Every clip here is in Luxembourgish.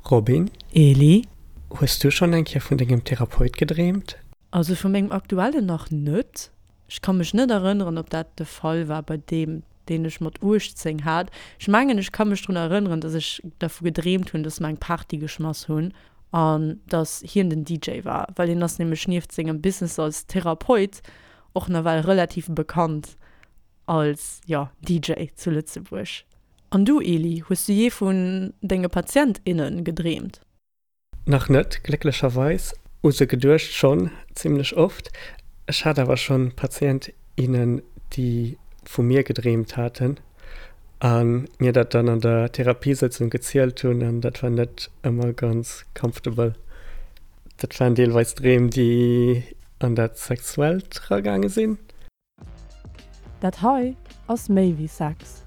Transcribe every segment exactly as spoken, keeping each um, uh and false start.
Robin? Eli? Hues du schonn eng Kéier vun dengem Therapeut gedreemt? Also vu mengem aktuellen nach net. Ech ka mech net erënneren, ob dat de Fall war bei deem, deen ech mat uechtzéng hat. Ech mengen, ech ka mech drun erënneren, dass ech dervu gedreemt hunn, dass mer eng Party geschmass hunn an dass hien den D J war, well hien ass nämlech nieft sengem Business als Therapeut och nawell relativ bekannt als, jo, D J zu Lëtzebuerg. An du, Eli, hues du jee vun denge Patient, innen gedreemt? Nach net, glécklecherweis. U se geduecht schonn zimmlech oft. Ech hat awer schonn Patient, innen, déi vu mir gedreemt haten a mir dat dann an der Therapiesëtzung gezielt hunn, an dat war net ëmmer ganz comfortable. Dat waren deelweis Dreem, déi an dat Sexuellt eragaange sinn. Dat hei ass méi wéi Sex.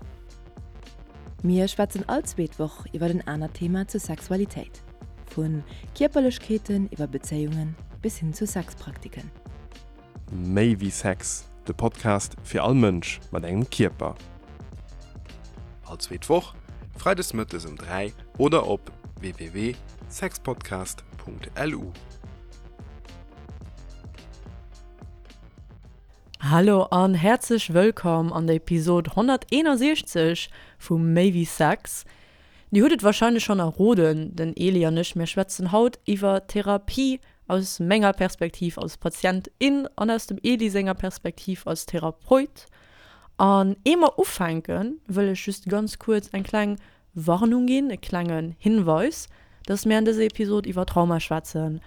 Mir schwätzen all zweet Woch iwwer en anert Thema zur Sexualitéit. Vu Kierperlechkeeten iwwer Bezéiungen bis hin zu Sexpraktiken. Méi wéi Sex, de Podcast fir all Mënsch mat engem Kierper. All zweet Woch, freides mëttes um dräi oder op w w w Punkt sexpodcast Punkt l u. Hallo an häerzlech wëllkomm an der Episod honnerteenasechzeg vu Méi wéi Sex. Dir hutt et warscheinlech schonn erroden, den Eli an ech, mir schwätzen haut iwwer Therapie aus menger Perspektiv als Patient, in an aus dem Eli senger Perspektiv als Therapeut. An ier mer ufänken, wëll ech just ganz kuerz eng kleng Warnung ginn, e klengen Hinweis, dass mir an dëser Episod iwwer Trauma schwätzen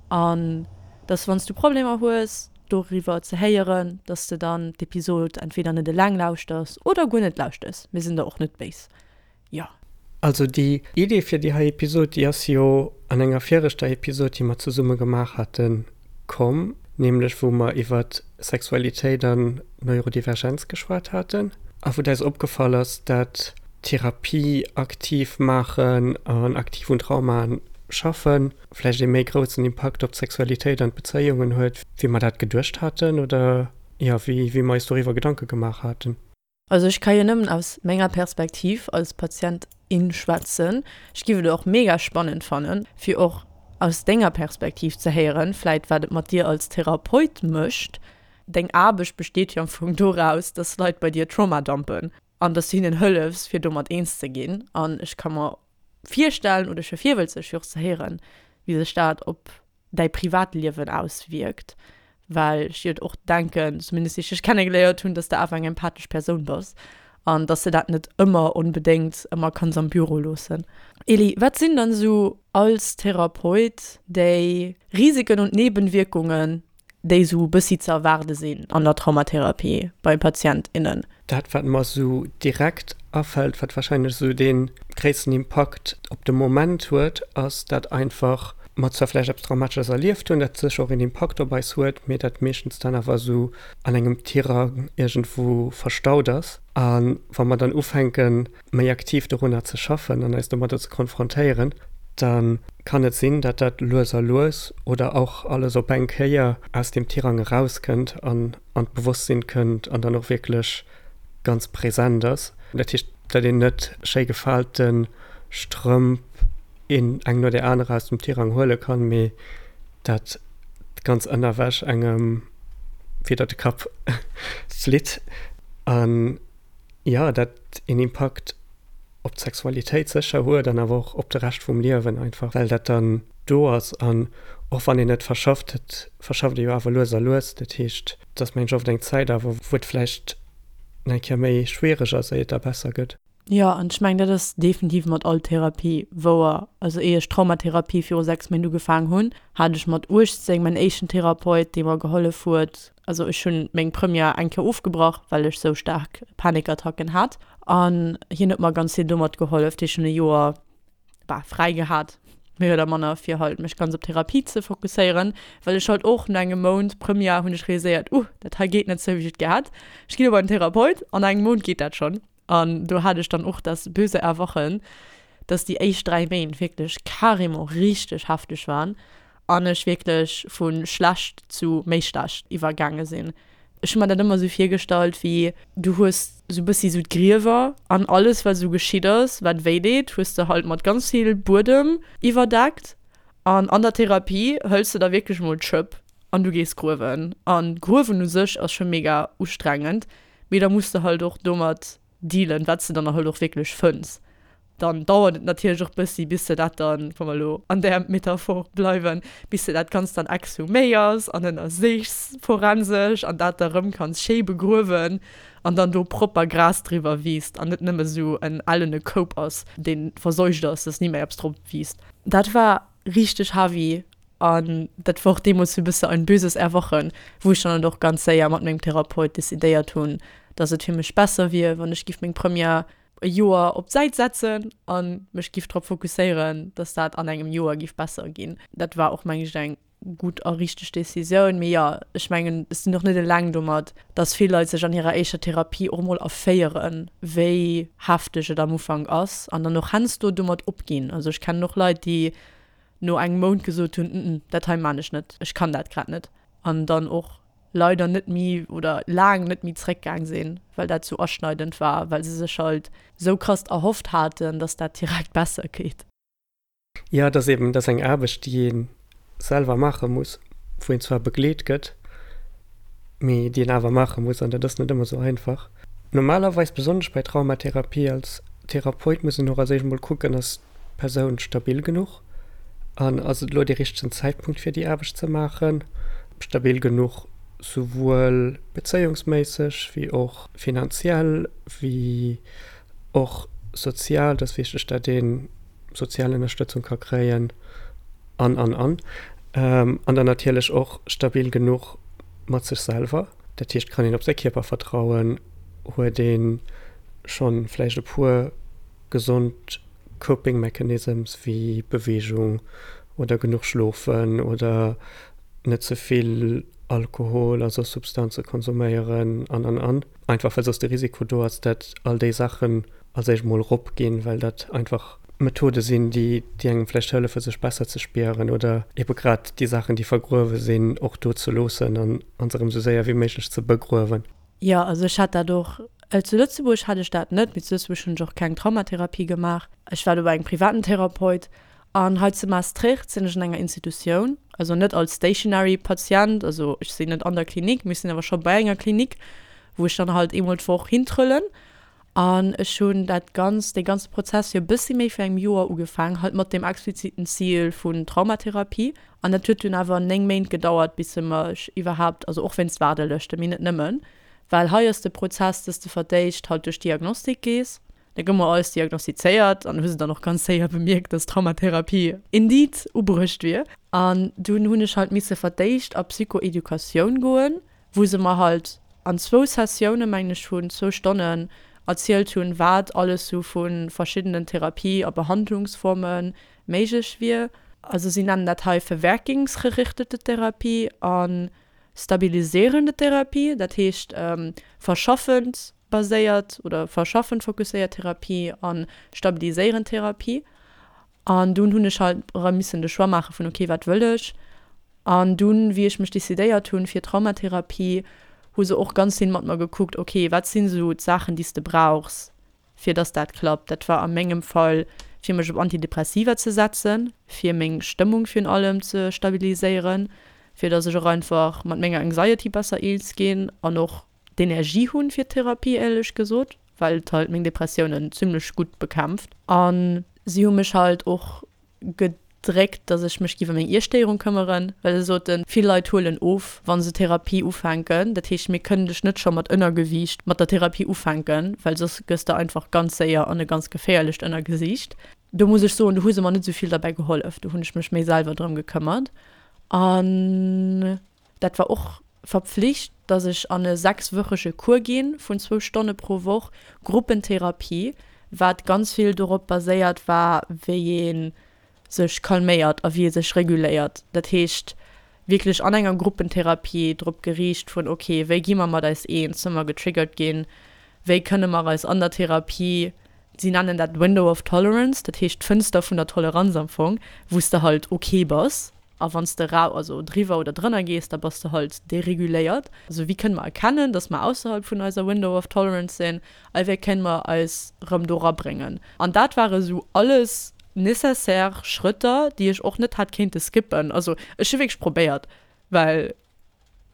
an dass, wann s du Problemer hues doriwwer ze héieren, dass de dann d'Episod entweder net eleng lauschters oder guer net lauschters. Mir sinn der och net béis. Jo. Also déi Idee fir déi hei Episod, déi ass jo an enger viregter Episod, déi mer zesumme gemaach haten, komm, nämlech wou mer iwwer Sexualitéit an Neurodivergenz geschwat haten a wou et eis opgefall ass, dat Therapie aktiv maachen an aktiv un Traumaen schaffen vläicht ee méi groussen Impakt op d'Sexualitéit an d'Bezéiungen huet, wéi mer dat geduecht haten oder, jo, wéi wéi mer eis doriwwer Gedanke gemaach haten. Also ech ka jo nëmmen aus menger Perspektiv als Patient, in schwätzen. Ech giff et och mega spannend fannen, fir och aus denger Perspektiv ze héieren, vläit wat et mat dir als Therapeut mécht. Deng Aarbecht besteet jo am Fong doraus, dass Leit bei dir Trauma dumpen an dass du hinnen hëllefs, fir domat eens ze ginn. An ech ka mer virstellen oder ech wier virwëlzeg fir och ze héieren, wéi sech dat op däi Privatliewen auswierkt, well ech jo och denken, zumindest wéi ech dech kennegeléiert hunn, dass de awer eng empathesch Persoun bass an dass de dat net ëmmer onbedéngt ëmmer kanns am Büro loossen. Eli, wat sinn dann esou als Therapeut déi Risiken und Nebenwirkungen, déi esou e bëssi ze erwaarde sinn an der Traumatherapie bei Patient, innen? Dat, wat mer esou direkt afält, wat warscheinlech esou dee gréissten Impakt op de Moment huet, ass, dat einfach mer zwar vläicht eppes Traumatesches erlieft hunn, dat sécher och een Impakt op eis huet, mee dat meeschtens dann awer esou an engem Tirang iergendwou verstaut ass. A wa mer dann ufänken, méi aktiv dorunner ze schaffen an eis domadder ze konfrontéieren, da kann et sinn, dat dat lues a lues oder och alles op eng Kéier aus deem Tirang erauskënnt an an d'Bewosstsinn kënnt an dann och wierklech ganz present ass. Dat heescht, datt een net schéi gefaalte Strëmp een eng no där anerer aus dem Tirang huele kann, mee dat d'ganz Ënnerwäsch engem widder de Kapp flitt. An jo, dat een Impakt op d'Sexualitéit sécher huet an awer och op de Rescht vum Liewen einfach, well dat dann do ass. An och wann een et verschafft, et verschafft ee jo awer lues a lues. Dat heescht, et ass mengen ech oft eng Zäit awer, wou et vläicht eng Kéier méi schwiereg ass, éier et da besser gëtt. Jo, an ech mengen, dat ass definitiv mat all Therapie wouer. Also éier ech Traumatherapie viru sechs Méint ugefaangen hunn, hat ech mat uechtzéng mäin éischten Therapeut, dee mer gehollef huet. Also ech hunn meng Première eng Kéier ofgebrach, well ech sou staark Panikattacken hat. An hien huet mer ganz vill domat gehollef. Dat heescht, ech hunn e Joer, bah, fräi gehat, méi oder manner, fir halt mech ganz op Therapie ze fokusséieren, well ech halt och no engem Mount Première hunn ech realiséiert, uh, dat hei geet net sou, wéi ech et gär hätt. Ech ginn op en Therapeut, an engem Mount geet dat schonn. An do hat ech dann och das böse Erwachen, dass déi éischt dräi Méint wierklech carrément richteg hefteg waren an ech wierklech vu schlecht zu méi schlecht iwwergaange sinn. Ech hu mer dat ëmmer sou virgestallt wéi, du hues sou bëssi sou d'Griewer an alles wat sou geschitt ass, wat wéi deet, hues de halt mat ganz vill Buedem iwwerdeckt an an der Therapie hëls de da wierklech mol d'Schëpp an du gees gruewen an gruewen u sech ass scho mega ustrengend, mee da muss de halt och domat dealen, wat s de dann halt och wierklech fënns. Dann dauert et natierlech och bëssi, bis de dat dann, wa mer elo an där Metaphor bleiwen, bis de dat Ganzt dann exhuméiers an ënnersichs forensesch an dat da rëm kanns schéi begruewen an dann do propper Gras driwwer wiisst an net nëmme sou en ellene Koup ass, dee verseucht ass, dass ni méi eppes drop wiisst. Dat war richteg heavy an dat war och deemools sou e bësse ein böses Erwachen, wou ech dann och ganz séier mat mengem Therapeut decidéiert hunn, dass et fir mech besser wier, wann ech giff meng Première e Joer op d'Säit setzen a mech giff drop fokusséieren, dass dat an engem Joer giff besser ginn. Dat war och, meng ech, eng gutt a richteg Decisioun. Mee jo, ech mengen, ech sinn och net eleng domat, dass vill Leit sech an hirer éischter Therapie och emol erféieren, wéi hefteg et am Ufank ass an dann och heiansdo domat opginn. Also ech kennen och Leit, déi no engem Mount gesot hunn, mm, dat hei man ech net, ech kann dat grad net. An dann och leider net méi oder laang net méi zréckgaang sinn, well dat sou aschneidend war, well se sech halt sou krass erhofft haten, dass dat direkt besser geet. Jo, et ass eben, et ass eng Aarbecht, déi ee selwer maache muss, wou een zwar begleet gëtt, mee déi een awer maache muss an dat ass net ëmmer sou einfach. Normalerweis, besonnesch bei Traumatherapie, als Therapeut muss een och als éischt emol kucken, ass d'Persoun stabil genuch an ass et elo dee richtegen Zäitpunkt fir déi Aarbecht ze maachen, stabil genuch souwuel bezéiungsméisseg wéi och finanziell wéi och sozial, et ass wichteg, datt ee sozial Ënnerstëtzung ka kréien an, an, an. An dann natierlech och stabil genuch mat sech selwer, dat heescht, kann een op säi Kierper vertrauen, huet ee schonn vläicht e puer gesond Coping Mechanisms wéi Beweegung oder genuch schlofen oder net ze vill Alkohol a soss Substanze konsuméieren an an an. Einfach well soss de Risiko do ass, dat all déi Saachen als éischt mol rop ginn, well dat einfach Methode sinn, déi déi engem vläicht hëllefe sech besser ze spieren oder ebe grad déi Saachen, déi vergruewe sinn, och do ze loossen an an se erëm sou séier wéi méiglech ze begruewen. Jo, also ech hat dat och. Zu Lëtzebuerg hat ech dat net, mee zu Lëtzebuerg hunn ech och keng Traumatherapie gemaach. Ech war do bei engem privaten Therapeut. An hei zu Maastricht sinn ech an enger Institutioun, also net als stationary Patient, also ech sinn net an der Klinik, mee ech sinn awer scho bei enger Klinik, wou ech dann halt eemol d'Woch hintrëllen. An ech hunn dat Ganzt, dee ganze Prozess jo e bëssi méi vir engem Joer ugefaang, halt mat dem expliziten Zil vun Traumatherapie. An dat huet dunn awer néng Méint gedauert, bis se mech iwwerhaapt, also och wéinst Waardelëschten, mee net nëmmen, well hei ass de Prozess, dass de fir d'éischt halt duerch d'Diagnostik gees, da gouf mer alles diagnostizéiert an hu se dann och ganz séier bemierkt, dass Traumatherapie indeed ubruecht wier. An dunn hunn ech halt misse fir d'éischt a Psychoeducatioun goen, wou se mer halt an zwou Sessioune mengen ech vun zwou Stonnen erzielt hunn, wat alles sou vu verschiddenen Therapie a Behandlungsforme méiglech wier. Also si nennen dat hei verwerkungsgerichtete Therapie a stabilisierende Therapie, dat heescht verschaffend baséiert oder verschaffend fokusséiert Therapie a stabiliséierend Therapie. An dunn hunn ech halt erëm missen de Choix maache vun okay, wat wëll ech? An dunn, wéi ech mech decidéiert hunn fir Traumatherapie, hu se och ganz vill mat mer gekuckt, okay, wat sinn esou d'Saachen, déi s de brauchs, fir dass dat klappt. Dat war a mengem Fall, fir mech op Antidepressiva ze setzen, fir meng Stëmmung virun allem ze stabiliséieren, fir dass ech och einfach mat menger Anxiety besser eens ginn an och d'Energie hunn fir d'Therapie, éierlech gesot, well et halt meng Depressiounen zimmlech gutt bekämpft. A si hu mech halt och gedréckt, dass ech mech giff ëm meng Iesstéierung këmmeren, well se soten, vill Leit huelen of, wa se Therapie ufänken, dat heescht, mir kënnen dech net scho mat Ënnergewiicht mat der Therapie ufänken, well soss gëss de einfach ganz séier an e ganz geféierlecht Ënnergesiicht. Do muss ech soen, do hu se mer net esou vill derbäi gehollef, do hunn ech mech méi selwer drëm gekëmmert. An dat war och verpflicht, dass ech an e sechswöchege Cours ginn vun zwou Stonne pro Woch, Gruppentherapie, wat ganz vill dorop baséiert war, wéi ee sech calméiert a wéi ee sech reguléiert. Dat heescht wierklech an enger Gruppentherapie drop geriicht vun, ok, wéi gi mer mat eis eens, wa mer getriggert ginn, wéi kënne mer eis an der Therapie, si nennen dat Window of Tolerance, dat heescht d'Fënster vun der Toleranz am Fong, wou s de halt ok bass. A wann s de rau, also driwwer oder drënner gees, da bass de halt dereguléiert. Also wéi kënne mer erkennen, dass mer ausserhalb vun eiser Window of Tolerance sinn a wéi kënne mer eis rëm do rabréngen? An dat ware sou alles nécessaire Schrëtter, déi ech och net hätt kéinte skippen. Also ech hu wierklech probéiert, well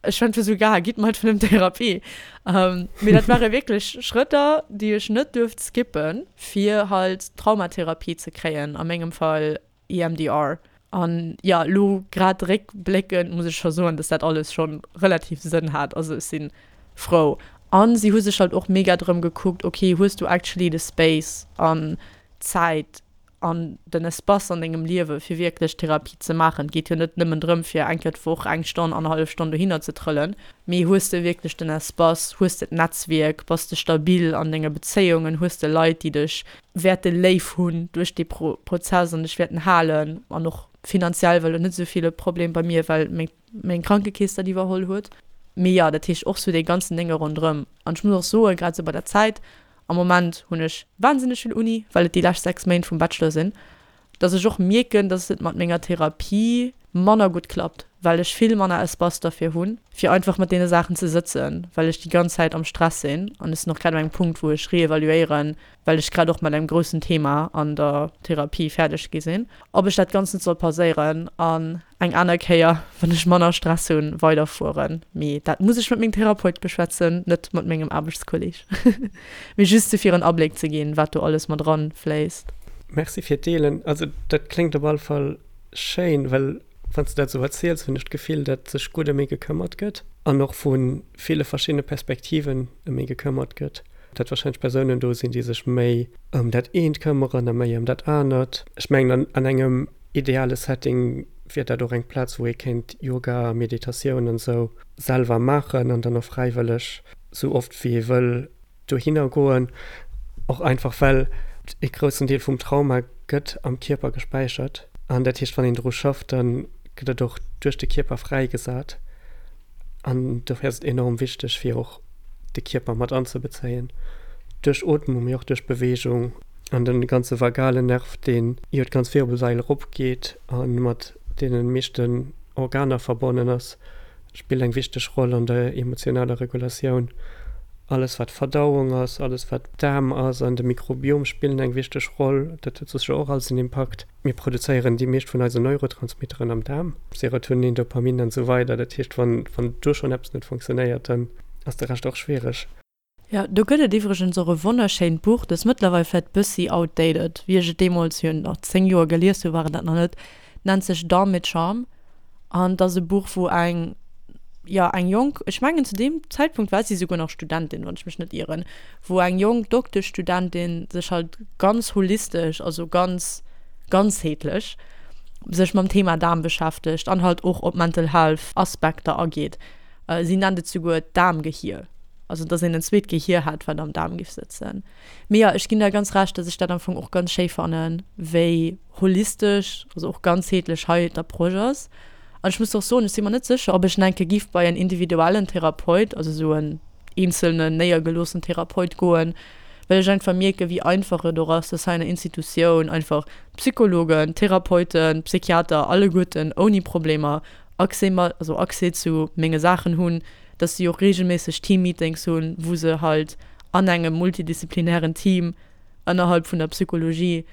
ech fand fir sou ga, gitt mer halt vun dem Therapie. Mee dat ware wierklech Schrëtter, déi ech net duerft skippen, fir halt Traumatherapie ze kréien, a mengem Fall EMDR. An jo, elo grad réckbléckend muss ech scho soen, dass dat alles scho relativ Sënn hat. Also ech si frou. An si hu sech halt och mega drëm gekuckt, ok, hues du actually de Space an d'Zäit an den Espace an dengem Liewe fir wierklech Therapie ze maachen. Et geet jo net nëmmen drëm fir eng Kéier d'Woch eng Stonn, annerhallef Stonn dohinner ze trëllen, mee hues de wierklech den Espace, hues de d'Netzwierk, bass de stabil an denge Bezéiungen, hues de Leit déi dech wäerte léif hunn duerch dee Prozess an dech wäerten halen an och finanziell well net esou vill e Problem bei mir, well meng meng Krankekeess dat iwwerholl huet. Mee jo, dat heescht och sou dee ganzen Dénge ronderëm. An ech muss och soen, grad sou bei der Zäit, am Moment hunn ech wahnsinneg vill Uni, well et déi lescht sechs Méint vum Bachelor sinn, dass ech och mierken, dass et mat menger Therapie manner gutt klappt, well ech vill manner Espace derfir hunn, fir einfach mat deene Saachen ze sëtzen, well ech déi ganz Zäit am Stress sinn. An ech sinn och grad un engem Punkt, wou ech reevaluéieren, well ech grad och mat engem groussen Thema an der Therapie fäerdeg gi sinn, ob ech dat Ganzt net soll pauséieren an eng aner Kéier, wann ech manner Stress hunn, weiderfueren. Mee dat muss ech mat mengem Therapeut beschwätzen, net mat mengem Aarbechtskolleg. Mee just fir en Abléck ze ginn, wat do alles mat eranfléisst. Merci fir d'Deelen. Also dat kléngt op alle Fall schéin, well wann s de dat esou erziels, hunn ech d'Gefill, datt sech gutt ëm ee gekëmmert gëtt an och vu ville verschiddene Perspektiven ëm ee gekëmmert gëtt. Datt warscheinlech Persounen do sinn, déi sech méi ëm dat eent këmmeren a méi ëm dat anert. Ech mengen, an engem ideale Setting wier dat och eng Plaz, wou ee kéint Yoga, Meditatioun an esou selwer maachen an dann och fräiwëlleg esou oft wéi ee wëll dohinner goen. Och einfach well e groussen Deel vum Trauma gëtt am Kierper gespäichert an dat heescht, wann een dru schafft, da gëtt et och duerch de Kierper fräigesat an dofir ass et enorm wichteg fir och de Kierper mat anzebezéien, duerch Ootmung, mee och duerch Beweegung an de ganze vagalen Nerv, deen jo d'ganz Wirbelsail eropgeet a mat deene meeschten Organer verbonnen ass, spillt eng wichteg Roll an der emotionaler Regulatioun. Alles wat Verdauung ass, alles wat Daarm ass an de Mikrobiom spillen eng wichteg Roll. Dat huet sécher och alles en Impakt. Mir produzéieren déi meescht vun eisen Neurotransmitteren am Daarm, Serotonin, Dopamin an esou weider. Dat heescht, wann wann do schonn eppes net funktionéiert, dann ass de Rescht och schwiereg. Jo, do gëtt et iwwregens och e wonnerschéint Buch, dat ass mëttlerweil vläicht bëssi outdated, wéi ech et deemools, jo nach zéng Joer gelies hu war et dat nach net, nennt sech Darm mit Charme an et ass e Buch, wou eng, jo eng jonk, ech mengen zu deem Zäitpunkt war si souguer nach Studentin, wann ech mech net ieren, wou eng jonk Dokteschstudentin sech halt ganz holistesch, also ganz ganzheetlech sech mam Thema Daarm beschäftegt an halt och op Mental Health Aspekter ageet. Si nennt et souguer d'Daarmgehier, also dass een en zweet Gehier hätt, wat am Daarm géif sëtzen. Mee jo, ech ginn der ganz Recht, dass ech dat am Fong och ganz schéi fannen, wéi holistesch, also och ganzheetlech hei d'Approche ass. An ech muss och soen, ech si mer net sécher, ob ech nach eng Kéier giff bei en individuellen Therapeut, also esou en eenzelnen néiergeloossen Therapeut goen, well ech einfach mierken, wéi einfach et och ass, dass hei an der Institutioun einfach Psychologen, Therapeuten, Psychiater alleguerten ouni Problemer Accès mat, also Accès zu menge Saachen hunn, dass si och regelméisseg Teammeetings hunn, wou se halt an engem multidisziplinären Team ënnerhalb vun der Psychologie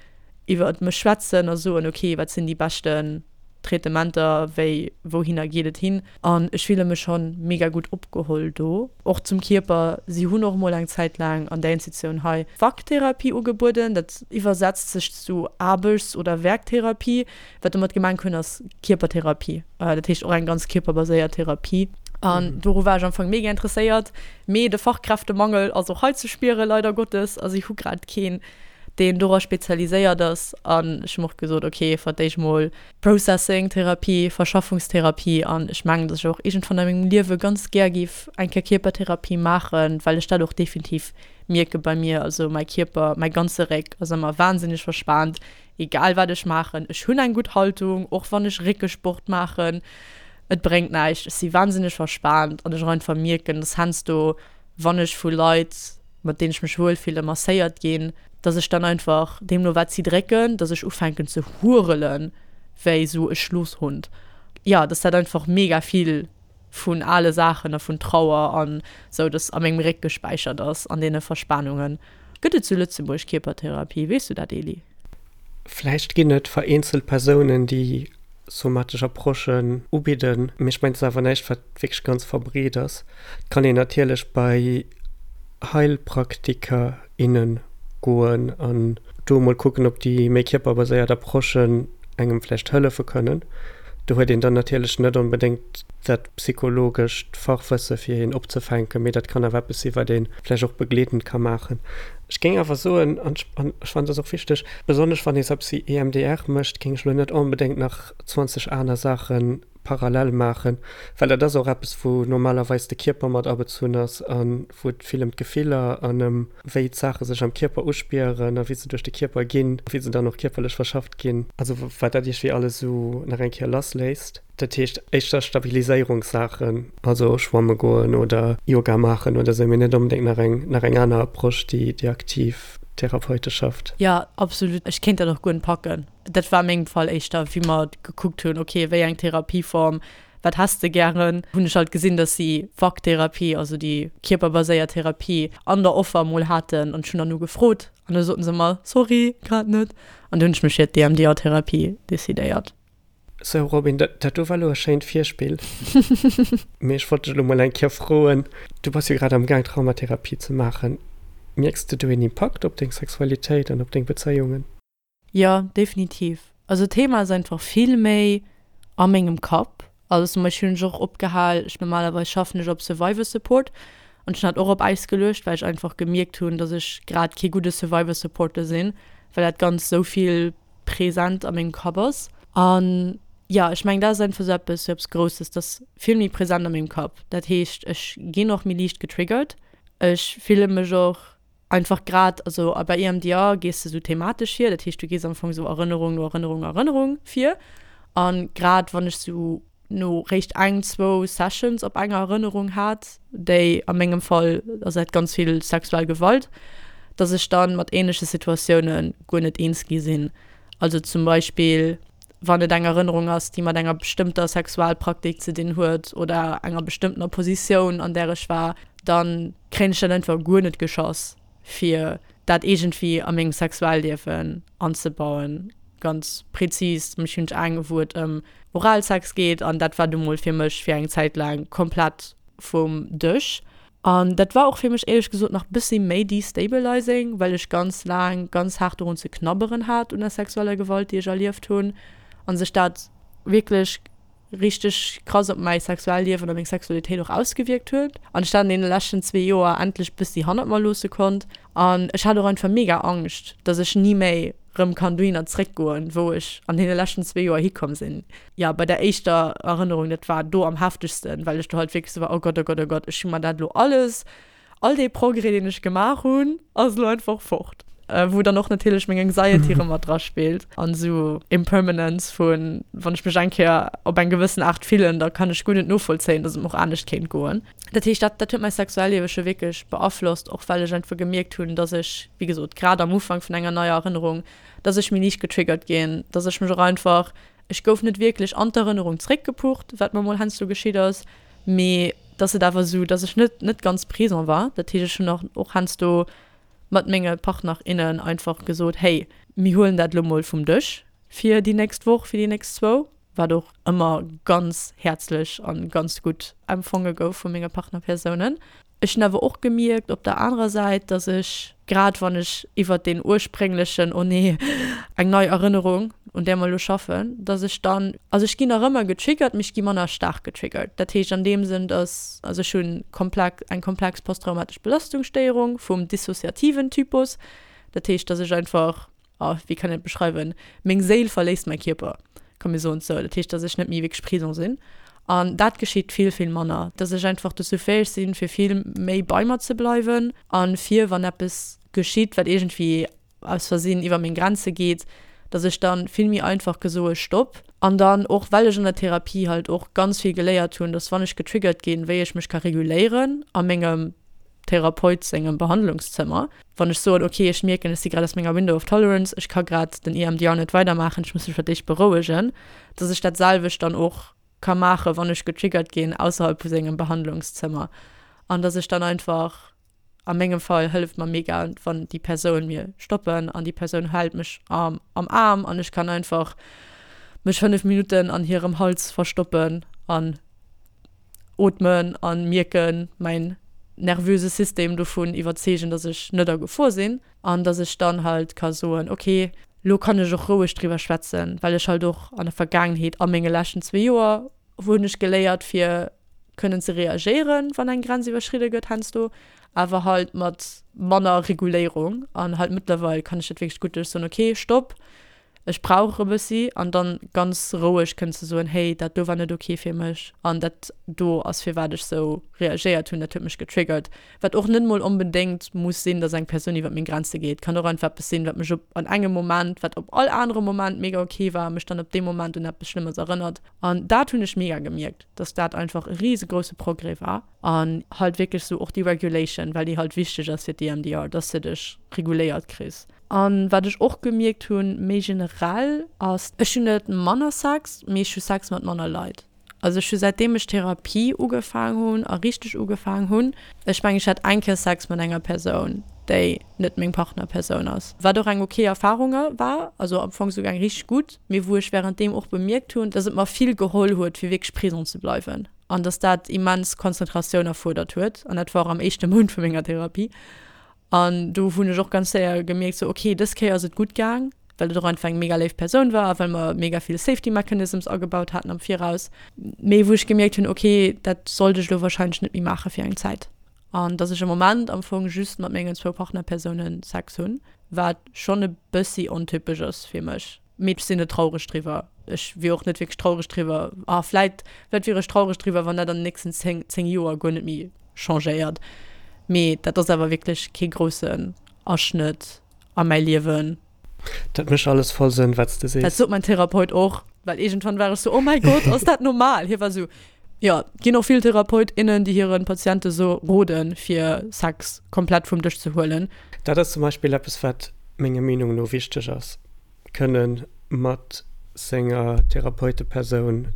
iwwer mech schwätzen a soen, okay, wat sinn déi beschten Traitementer, wéi, wouhinner geet et hin. An ech fille mech schonn mega gutt opgeholl do. Och zum Kierper, si hunn och mol eng Zäit laang an där Institutioun hei Waktherapie ugebueden, dat iwwersetzt sech zu Aarbechts oder Werktherapie. Wat domat gemengt hunn ass Kierpertherapie, dat heescht och eng ganz kierperbaséiert Therapie. An doru war ech am Fong mega interesséiert, mee de Fachkräftemangel ass och hei ze spieren, leider Gottes. Also ech hu grad keen, deen dora spezialiséiert ass. An ech hu mer och gesot, ok, fir d'éischt mol Processing-Therapie, Verschaffungstherapie. An ech mengen, datt ech och iergendwann a mengem Liewe ganz gär géif eng Kéier Kierpertherapie maachen, well ech dat och definitiv mierke bei mir. Also mäi Kierper, mäi ganze Réck ass ëmmer wahnsinneg verspaant, egal wat ech maachen. Ech hunn eng gutt Haltung, och wann ech Réckesport maachen, et bréngt näischt. Ech si wahnsinneg verspaant an ech och einfach mierken, dass heiansdo, wann ech vu Leit, mat deenen ech mech wuel fillen, masséiert ginn, dass ech dann einfach, deemno wat si drécken, dass ech ufänken ze hurelen wéi esou e Schlosshund. jo, dass dat einfach mega vill vun ale Saachen a vun Trauer an sou, dass a mengem Réck gespäichert ass, an deene Verspanungen. Gëtt et zu Lëtzebuerg Kierpertherapie? Weess du dat, Eli? Vläicht ginn et vereenzelt Persounen, déi somatesch Approchen ubidden, mee ech mengen, et ass awer näischt, wat wierklech ganz verbreet ass. Et kann een natierlech bei Heilpraktiker, innen goen an do emol kucken, ob déi méi kierperbaséiert Approchen engem vläicht hëllefe kënnen. Do huet een dann natierlech net onbedéngt dat psychologescht Fachwësse fir een opzefänken, mee dat kann awer eppes sinn, wat ee vläicht och begleedend ka maachen. Ech géing awer soen, an ech fannen dat ass och wichteg, besonnesch wann ee sou eppes wéi EMDR mécht, géing ech elo net onbedéngt nach zwanzeg aner Saache parallel maachen, well dat ass och eppes, wou normalerweis de Kierper mat abezunn ass a wou et vill ëm d'Gefiller an ëm wéi d'Saache sech am Kierper uspieren a wéi se duerch de Kierper ginn, wéi se dann och kierperlech verschafft ginn, also wat dat iergendwéi alles esou nach eng Kéier lassléisst. Dat heescht éischter Stabiliséierungssaachen, also schwamme goen oder Yoga maachen oder esou, mee net onbedéngt nach eng nach eng aner Approche, déi déi aktiv therapeutesch schafft. Jo, absolut. Ech kéint dat och guer net packen. Dat war a mengem Fall éischter, wéi mer gekuckt hunn, ok, wéi eng Therapieform, wat häss de gären, hunn ech halt gesinn, dass si V A C-Therapie, also déi kierperbaséiert Therapie, an der Offer mol haten an ech hunn dann ugefrot an da soten se mer, sorry, grad net. An du hunn ech mech fir d'EMDR-Therapie decidéiert. Sou Robin, dat dat do war elo e schéint Virspill. Mee ech wollt dech elo mol eng Kéier froen, du bass jo grad am Gaang Traumatherapie ze maachen. Mierks de do een Impakt op deng Sexualitéit an op deng Bezéiungen? Jo, definitiv. Also d'Thema ass einfach vill méi a mengem Kapp. Also zum Beispill hunn ech och opgehal, ech normalerweis schaffen ech op Survivor Support an ech hunn dat och op Äis geluecht, well ech einfach gemierkt hunn, dass ech grad kee gudde Survivor Supporter sinn, well dat Ganzt sou vill present a mengem Kapp ass. An jo, ech mengen dat ass einfach sou eppes, sou eppes Grousses, dat ass vill méi present a mengem Kapp. Dat heescht, ech ginn och méi liicht getriggert. Ech fille mech och einfach grad, also a bei E M D R gees de sou thematesch vir, dat heescht du gees am Fong sou Erënnerung no Erënnerung no Erënnerung vir. An grad wann ech sou no réischt eng, zwou Sessions op enger Erënnerung hat, déi a mengem Fall ass dat ganz vill sexuell Gewalt, dass ech dann mat ähnleche Situatioune guer net eens gi sinn. Also zum Beispill wann et eng Erënnerung ass, déi mat enger bestëmmter Sexualpraktik ze dinn huet oder enger bestëmmtener Positioun, an där ech war, dann kréien ech dat einfach guer net geschoss, fir dat iergendwéi a mengem Sexualliewen anzebauen. Ganz prezis zum Beispill hunn ech eng, wou et ëm Oralsex geet an dat war du mol fir mech fir eng Zäit laang komplett vum Dësch. An dat war och fir mech éierlech gesot nach bëssi méi destabilizing, well ech ganz laang ganz haart dorun ze knabberen hat un der sexueller Gewalt, déi ech erlieft hunn an sech dat wierklech richteg krass op mäi Sexualliewen a meng Sexualitéit och ausgewierkt huet an ech dat an deene leschten zwee Joer endlech bëssi hannert mer loosse konnt. An ech hat och einfach mega Angscht, dass ech ni méi rëm kann dohinner zréckgoen, wou ech an deene leschten zwee Joer hikomm sinn. Jo, bei der éischter Erënnerung, dat war do am heftegsten, well ech do halt wierklech sou war, oh Gott, oh Gott, oh Gott, ech hu mer dat elo alles, all dee Progrès, deen ech gemaach hunn, ass elo einfach fort. Wou dann och natierlech meng Anxiety rëm mat dra spillt an esou Impermanence vun, wann ech mech eng Kéier op eng gewëssen Aart fillen, da kann ech guer net novollzéien, dass et mer och anescht kéint goen. Dat heescht, dat, dat huet mäi Sexuelliewe scho wierklech beaflosst, och well ech einfach gemierkt hunn, dass ech, wéi gesot, grad am Ufank vun enger neier Erënnerung, dass ech méi liicht getriggert ginn, dass ech mech och einfach, ech gouf net wierklech an d'Erënnerung zréckgepucht, wat mer mol heiansdo geschitt ass, mee dass et awer esou, dass ech net, net ganz présent war. Dat heescht, ech hunn och, och heiansdo mat menge Partner, innen einfach gesot, hey, mir huelen dat elo mol vum Dësch fir déi nächst Woch, fir déi nächst zwou, wat och ëmmer ganz häerzlech a ganz gutt empfonge gouf vu menge Partnerpersounen. Ech hunn awer och gemierkt op der anerer Säit, dass ech, grad wann ech iwwert deen ursprénglechen, oh nee, eng nei Erënnerung, un där mer elo schaffen, dass ech dann, also ech ginn nach ëmmer getriggert, mee ech gi manner staark getriggert. Dat heescht an deem Sënn, dass, also ech hunn komplex, eng komplex posttraumatesch Belastungsstéierung vum dissoziativen Typus. Dat heescht, dass ech einfach, oh, wéi kann een et beschreiwen, meng Séil verléisst mäi Kierper, komm mir soen et sou. Dat heescht, dass ech net méi wierklech présent sinn. An dat geschitt vill, vill manner, dass ech einfach dozou fäeg sinn, fir vill méi bei mer ze bleiwen a fir, wann eppes geschitt, wat iergendwéi aus Versinn iwwer meng Grenze geet, dass ech dann vill méi einfach ka soe Stopp. An dann och, well ech an der Therapie halt och ganz vill geléiert hunn, dass wann ech getriggert ginn, wéi ech mech ka reguléieren a mengem Therapeut sengem Behandlungszëmmer, wann ech soen, okay, ech mierken, ech si grad aus menger Window of Tolerance, ech ka grad den E M D R net weidermaachen, ech muss mech fir d'éischt berouegen, dass ech dat selwecht dann och ka maachen, wann ech getriggert ginn ausserhalb vu sengem Behandlungszëmmer an dass ech dann einfach, a mengem Fall hëlleft mer mega, wann déi Persoun mir stoppen an déi Persoun hält mech am Aarm an ech kann einfach mech fënnef Minutten an hirem Hals verstoppen an ootmen an mierken, mäin nervöse System dovun iwwerzeegen, dass ech net a Gefor sinn an dass ech dann halt ka soen, ok, lo kann ech och roueg driwwer schwätzen, well ech halt och an der Vergaangenheet a menge leschten zwee Joer hunn ech geléiert fir kënnen ze reagéieren, wann eng Grenz iwwerschridde gëtt heiansdo, awer halt mat manner Reguléierung an halt mëttlerweil kann ech dat wierklech gutt, dass ech soen, ok, stopp, ech brauch e bëssi an dann ganz roueg kënnen ze soen, hey, dat do war net ok fir mech an dat do ass firwat ech sou reagéiert hunn, dat huet mech getriggert. Wat och net mol onbedéngt muss sinn, dass eng Persoun iwwer meng Grenze geet, kann och einfach eppes sinn, wat mech op an engem Moment, wat op all anerem Moment mega ok war, mech dann op deem Moment un eppes Schlëmmes erënnert. An dat hunn ech mega gemierkt, dass dat einfach e riesegrousse Progrès war an halt wierklech sou och déi Regulation, well déi halt wichteg ass fir d'EMDR, dass de dech reguléiert kriss. An wat ech och gemierkt hunn, méi generell, ass, ech hunn net manner Sex, mee ech hu Sex mat manner Leit. Also ech hu säitdeem ech Therapie ugefaang hunn a richteg ugefaang hunn, ech mengen ech hat eng Kéier Sex mat enger Persoun, déi net meng Partnerpersoun ass, wat och eng ok Erfarung war, also am Fong souguer eng richteg gutt, mee wou ech wärenddeem och bemierkt hunn, dass et mer vill geholl huet fir wierklech présent ze bleiwen an dass dat immens Konzentratioun erfuerdert huet an dat war och am éischte Mount vu menger Therapie. An do hunn ech och ganz séier gemierkt, sou ok, dës Kéier ass et gutt gaang, well et och einfach eng mega léif Persoun war a well mer mega vill Safety Mechanisms agebaut haten am Viraus. Mee wou ech gemierkt hunn, ok, dat sollt ech elo warscheinlech net méi maache fir eng Zäit. An dass ech am Moment am Fong just mat mengen zwou Partnerpersoune Sex hunn, wat schonn e bëssi ontypesch ass fir mech. Mee ech sinn net traureg driwwer. Ech wier och net wierklech traureg driwwer, ah vläit, vläit wier ech traureg driwwer, wann dat an den nächsten zéng, zéng Joer guer net méi changéiert. Mee dat ass awer wierklech kee groussen Aschnëtt a mäi Liewen. Dat mécht alles voll Sënn, wat s de sees. Dat sot mäin Therapeut och, well iergendwann war ech sou, Oh mäi Gott, ass dat normal? Hie war sou, Jo, et ginn och vill Therapeut, innen, déi hire Patiente sou roden, fir Sex komplett vum Dësch ze huelen. Dat ass zum Beispill eppes, wat menger Meenung no wichteg ass, kënne mat senger Therapeutepersoun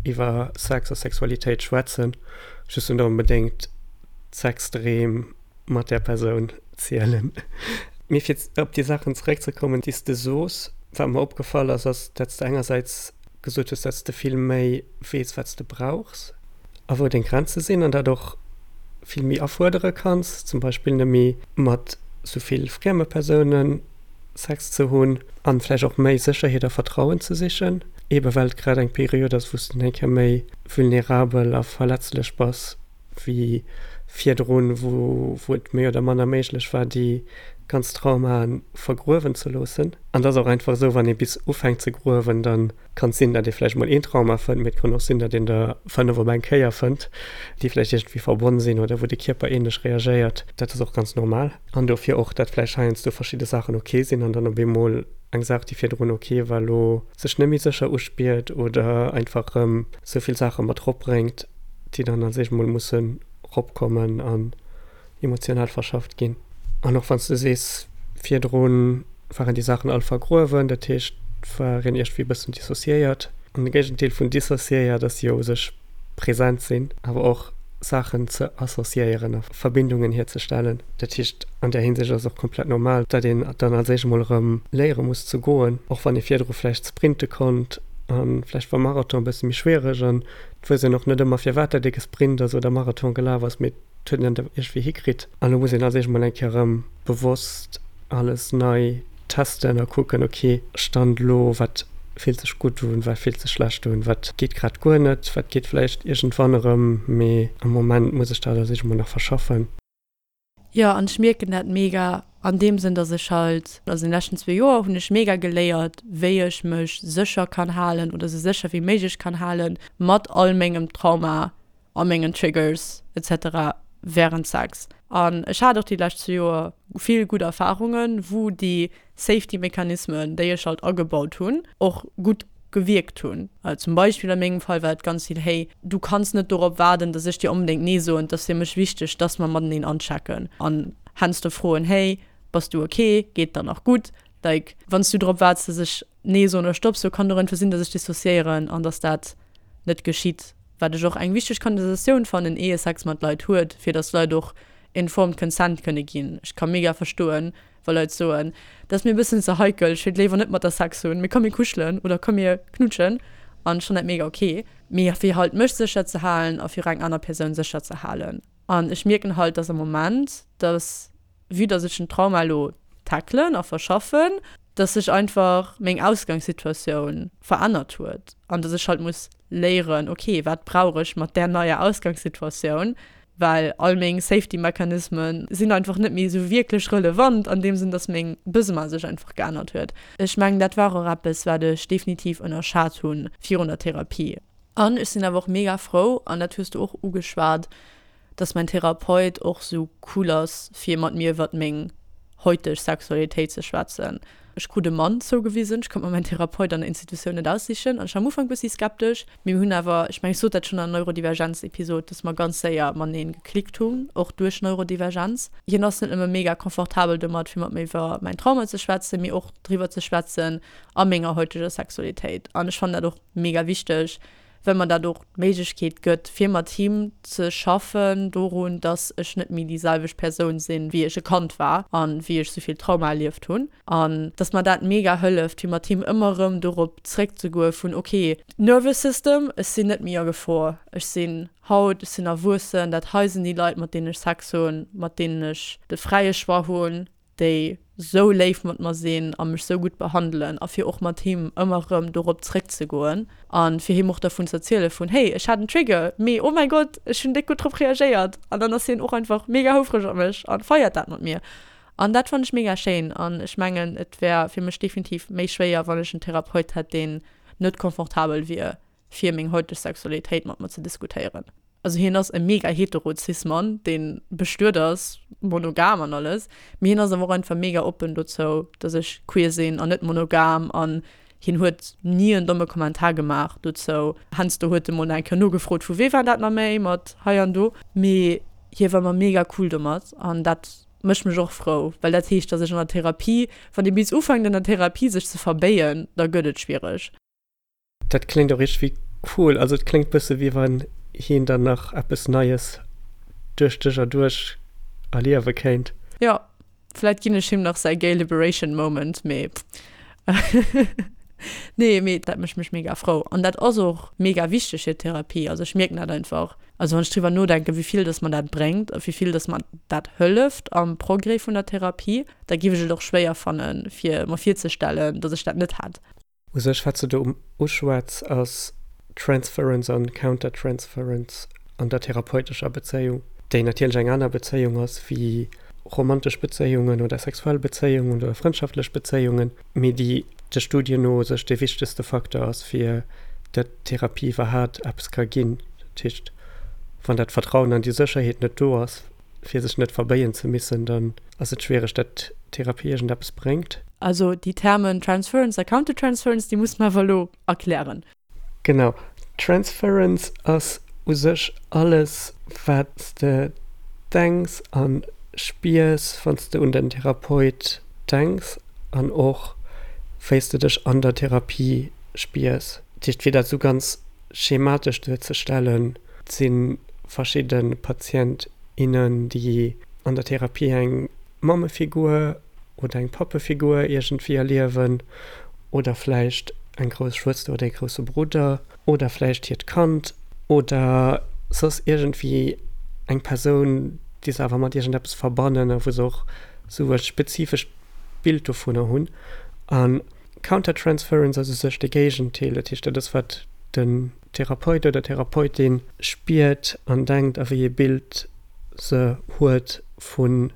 iwwer Sex a Sexualitéit schwätzen, just net onbedéngt d'Sexdreem mat där Persoun zielen. Mee fir op déi Saachen zeréckzekommen, déi s de sos, wat mer opgefall ass, ass, datt s de engersäits gesot hues, datt s de vill méi weess, wat s de brauchs a wou deng Grenze sinn an dat och vill méi afuerdere kanns, zum Beispill net méi mat sou vill frieme Persounen Sex ze hunn an vläicht och méi Sécherheet a Vertrauen ze sichen, eebe well et grad eng Period ass, wou s de eng Kéier méi vulnerabel a verletzlech bass wéi virdrun, wou wou et méi oder manner méiglech war, déi ganz Traumaen vergruewen ze loossen. An et ass och einfach esou, wann ee bis ufänkt ze gruewen, da kann et sinn, datt ee vläicht mol een Trauma fënnt, mee et kann och sinn, datt een der fënnef op eng Kéier fënnt, déi vläicht iergendwéi verbonn sinn oder wou de Kierper änlech reagéiert. Dat ass och ganz normal. An dofir och, datt vläicht heiansdo verschidde Saachen ok sinn an dann op eemol eng Saach, déi virdrun ok war, elo sech net méi sécher uspiert oder einfach erëm esou vill Saache mat eropbréngt, déi dann als éischt mol mussen eropkommen an emotional verschafft ginn. An och wann s de sees, virdru waren déi Saachen all vergruewen, dat heescht, et war een iergendwéi e bëssen dissociéiert. An de Géigendeel vun dissociéiert ass jo u sech present sinn, awer och Saachen ze associéieren a Verbindungen hierzestellen. Dat heescht, an där Hinsicht ass et och komplett normal, datt een dann als éischt emol erëm léiere muss ze goen, och wann ee virdru vläicht sprinte konnt a vläicht war Marathon e bësse méi schwiereg an et weess een och net ëmmer firwat dat ee gesprint ass oder Marathon gelaf ass, mee et huet een dat iergendwéi hikritt. An elo muss een als éischt emol eng Kéier erëm bewosst alles nei testen a kucken, ok, Stand elo, wat fillt sech gutt un, wat fillt sech schlecht un, wat geet grad guer net, wat geet vläicht iergendwann erëm, mee am Moment muss ech dat als éischt emol nach verschaffen. Jo, an ech mierken dat mega an deem Sënn, dass ech halt, also an den leschten zwee Joer hunn ech mega geléiert, wéi ech mech sécher kann halen oder sou sécher wéi méiglech kann halen mat all mengem Trauma a mengen Triggers et cetera wärend Sex. An ech hat och déi lescht zwee Joer vill gutt Erfarungen, wou déi Safety Mechanismen, déi ech halt agebaut hunn, och gutt gewierkt hunn. Zum Beispill a mengem Fall war et ganz vill, hey, du kanns net dorop waarden, dass ech dir onbedéngt Nee soen, et ass fir mech wichteg, dass mer mateneen anchecken an heiansdo froen, hey, bass du ok, geet der nach gutt? Like, wann s du drop waarts, dass ech Nee soen oder Stopp soen, kann et och einfach sinn, dass ech dissociéieren an dass dat net geschitt. Wat ech och eng wichteg Konversatioun fannen, ier ee Sex mat Leit huet, fir dass Leit och informed consent kënne ginn. Ech ka mega verstoen, wa Leit soen, dat ass mir e bëssen ze heikel, ech wéilt léiwer net mat der Sex hunn, mee komm mir kuschelen oder komm mir knutschen an ech fannen dat mega ok. Mee fir halt mech sécher ze halen a fir eng aner Persoun sécher ze halen. An ech mierken halt, dass am Moment, dass vue dass ech den Trauma elo tackelen a verschaffen, dass sech einfach meng Ausgangssituatioun verännert huet an dass ech halt muss léieren, ok, wat brauch ech mat där neier Ausgangssituatioun, well all meng Safety Mechanismen sinn einfach net méi esou wierklech relevant an deem Sënn, dass meng Besoine sech einfach geännert huet. Ech mengen, dat war och eppes, wat ech definitiv ënnerschat hunn virun der Therapie. An ech sinn awer och mega frou, an dat hues du och ugeschwat, dass mäin Therapeut och sou cool ass fir mat mir iwwert meng heuteg Sexualitéit ze schwätzen. Ech krut e Mann zougewisen, ech konnt mer mäin Therapeut an der Institutioun net aussichen an ech war am Ufank bëssi skeptesch, mee mir hunn awer, ech mengen ech sot dat schonn an der Neurodivergenz-Episod, dass mer ganz séier matenee geklickt hunn, och duerch Neurodivergenz. Hien ass net nëmme mega confortabel domat fir mat mir iwwer mäin Trauma ze schwätzen, mee och driwwer ze schwätzen a menger heuteger Sexualitéit an ech fannen dat och mega wichteg, well mer dat och d'Méiglechkeet gëtt, fir mat him ze schaffen dorun, dass ech net méi déi selwecht Persoun sinn, wéi ech e Kand war a wéi ech souvill Trauma erlieft hunn. An dass mer dat mega hëlleft, fir mat him ëmmer erëm dorop zréckzegoe vun, ok, Nervous System, ech sinn net méi a Gefor, ech sinn haut, ech sinn erwuessen, dat hei sinn déi Leit, mat deenen ech Sex hunn, mat deenen ech de fräie Choix hunn, déi sou léif mat mer sinn a mech sou gutt behandelen a fir och mat him ëmmer erëm dorop zréckzegoen a fir him och dervun ze erziele vun hey ech hat en Trigger, mee oh mäi Gott ech hunn déck gutt drop reagéiert an dann ass hien och einfach mega houfreg op mech a feiert dat mat mir an dat fannen ech mega schéin an ech mengen et wär fir mech definitiv méi schwéier wann ech en Therapeut hätt deen net confortabel wier fir meng heuteg Sexualitéit mat mer ze diskutéieren. Also hien ass e mega hetero cis Mann, deen bestuet ass, monogam an alles, mee hien ass awer och einfach mega oppen dozou, dass ech queer sinn an net monogam an hien huet ni en domme Kommentar gemaach dozou. Heiansdo huet e mol nach eng Kéier nogefrot, vu wee war dat nach méi mat hei an do, mee hie war ëmmer mega cool domat an dat mécht mech och frou, well dat heescht, dass ech an der Therapie, wann ee bis ufänkt an der Therapie sech ze verbéien, da gëtt et schwiereg. Dat kléngt och iergendwéi cool. Also et kléngt bësse wéi wann hien dann nach eppes Neies duerch dech erduerch erliewe kéint. Jo, vläit ginn ech him nach säi Gay Liberation Moment, mee nee, mee dat mécht mech mega frou. An dat ass och mega wichteg fir d'Therapie. Also ech mierken dat einfach. Also wann ech driwwer nodenken, wéi vill dass mer dat bréngt a wéi vill dass mer dat hëlleft am Progrès vun der Therapie, da géif ech et och schwéier fannen, fir mer virzestellen, dass ech dat net hätt. U sech wat s de do uschwätz ass Transference an Countertransference an der therapeutescher Bezéiung, déi natierlech eng aner Bezéiung ass wéi romantesch Bezéiungen oder sexuell Bezéiungen oder frëndschaftlech Bezéiungen, mee déi de Studien no u sech dee wichtegste Facteur ass fir datt Therapie iwwerhaat eppes ka ginn. Dat heescht, wann dat Vertrauen an déi Sécherheet net do ass, fir sech net verbéien ze missen, dann ass et schwiereg, datt Therapie iergendeppes bréngt. Also déi Termen Transference a Countertransference, déi muss mer awer elo erklären. Genau, Transference ass u sech alles, wat s de denks a spiers, wann s de un den Therapeut denks an och wéi s de dech an der Therapie spiers. Dat heescht, fir dat esou ganz schematesch duerzestellen, et si verschidde Patient, innen, déi an der Therapie eng Mammefigur oder eng Pappefigur iergendwéi erliewen oder vläicht eng grouss Schwëster oder ee grousse Brudder oder vläicht hiert Kand oder soss iergendwéi eng Persoun, déi se awer mat iergendeppes verbannen a wou se och esou e spezifescht Bild dovunner hunn. A Countertransference ass u sech de Géigendeel, dat heescht dat ass wat den Therapeut oder d'Therapeutin spiert an denkt a wéi ee Bild se huet vun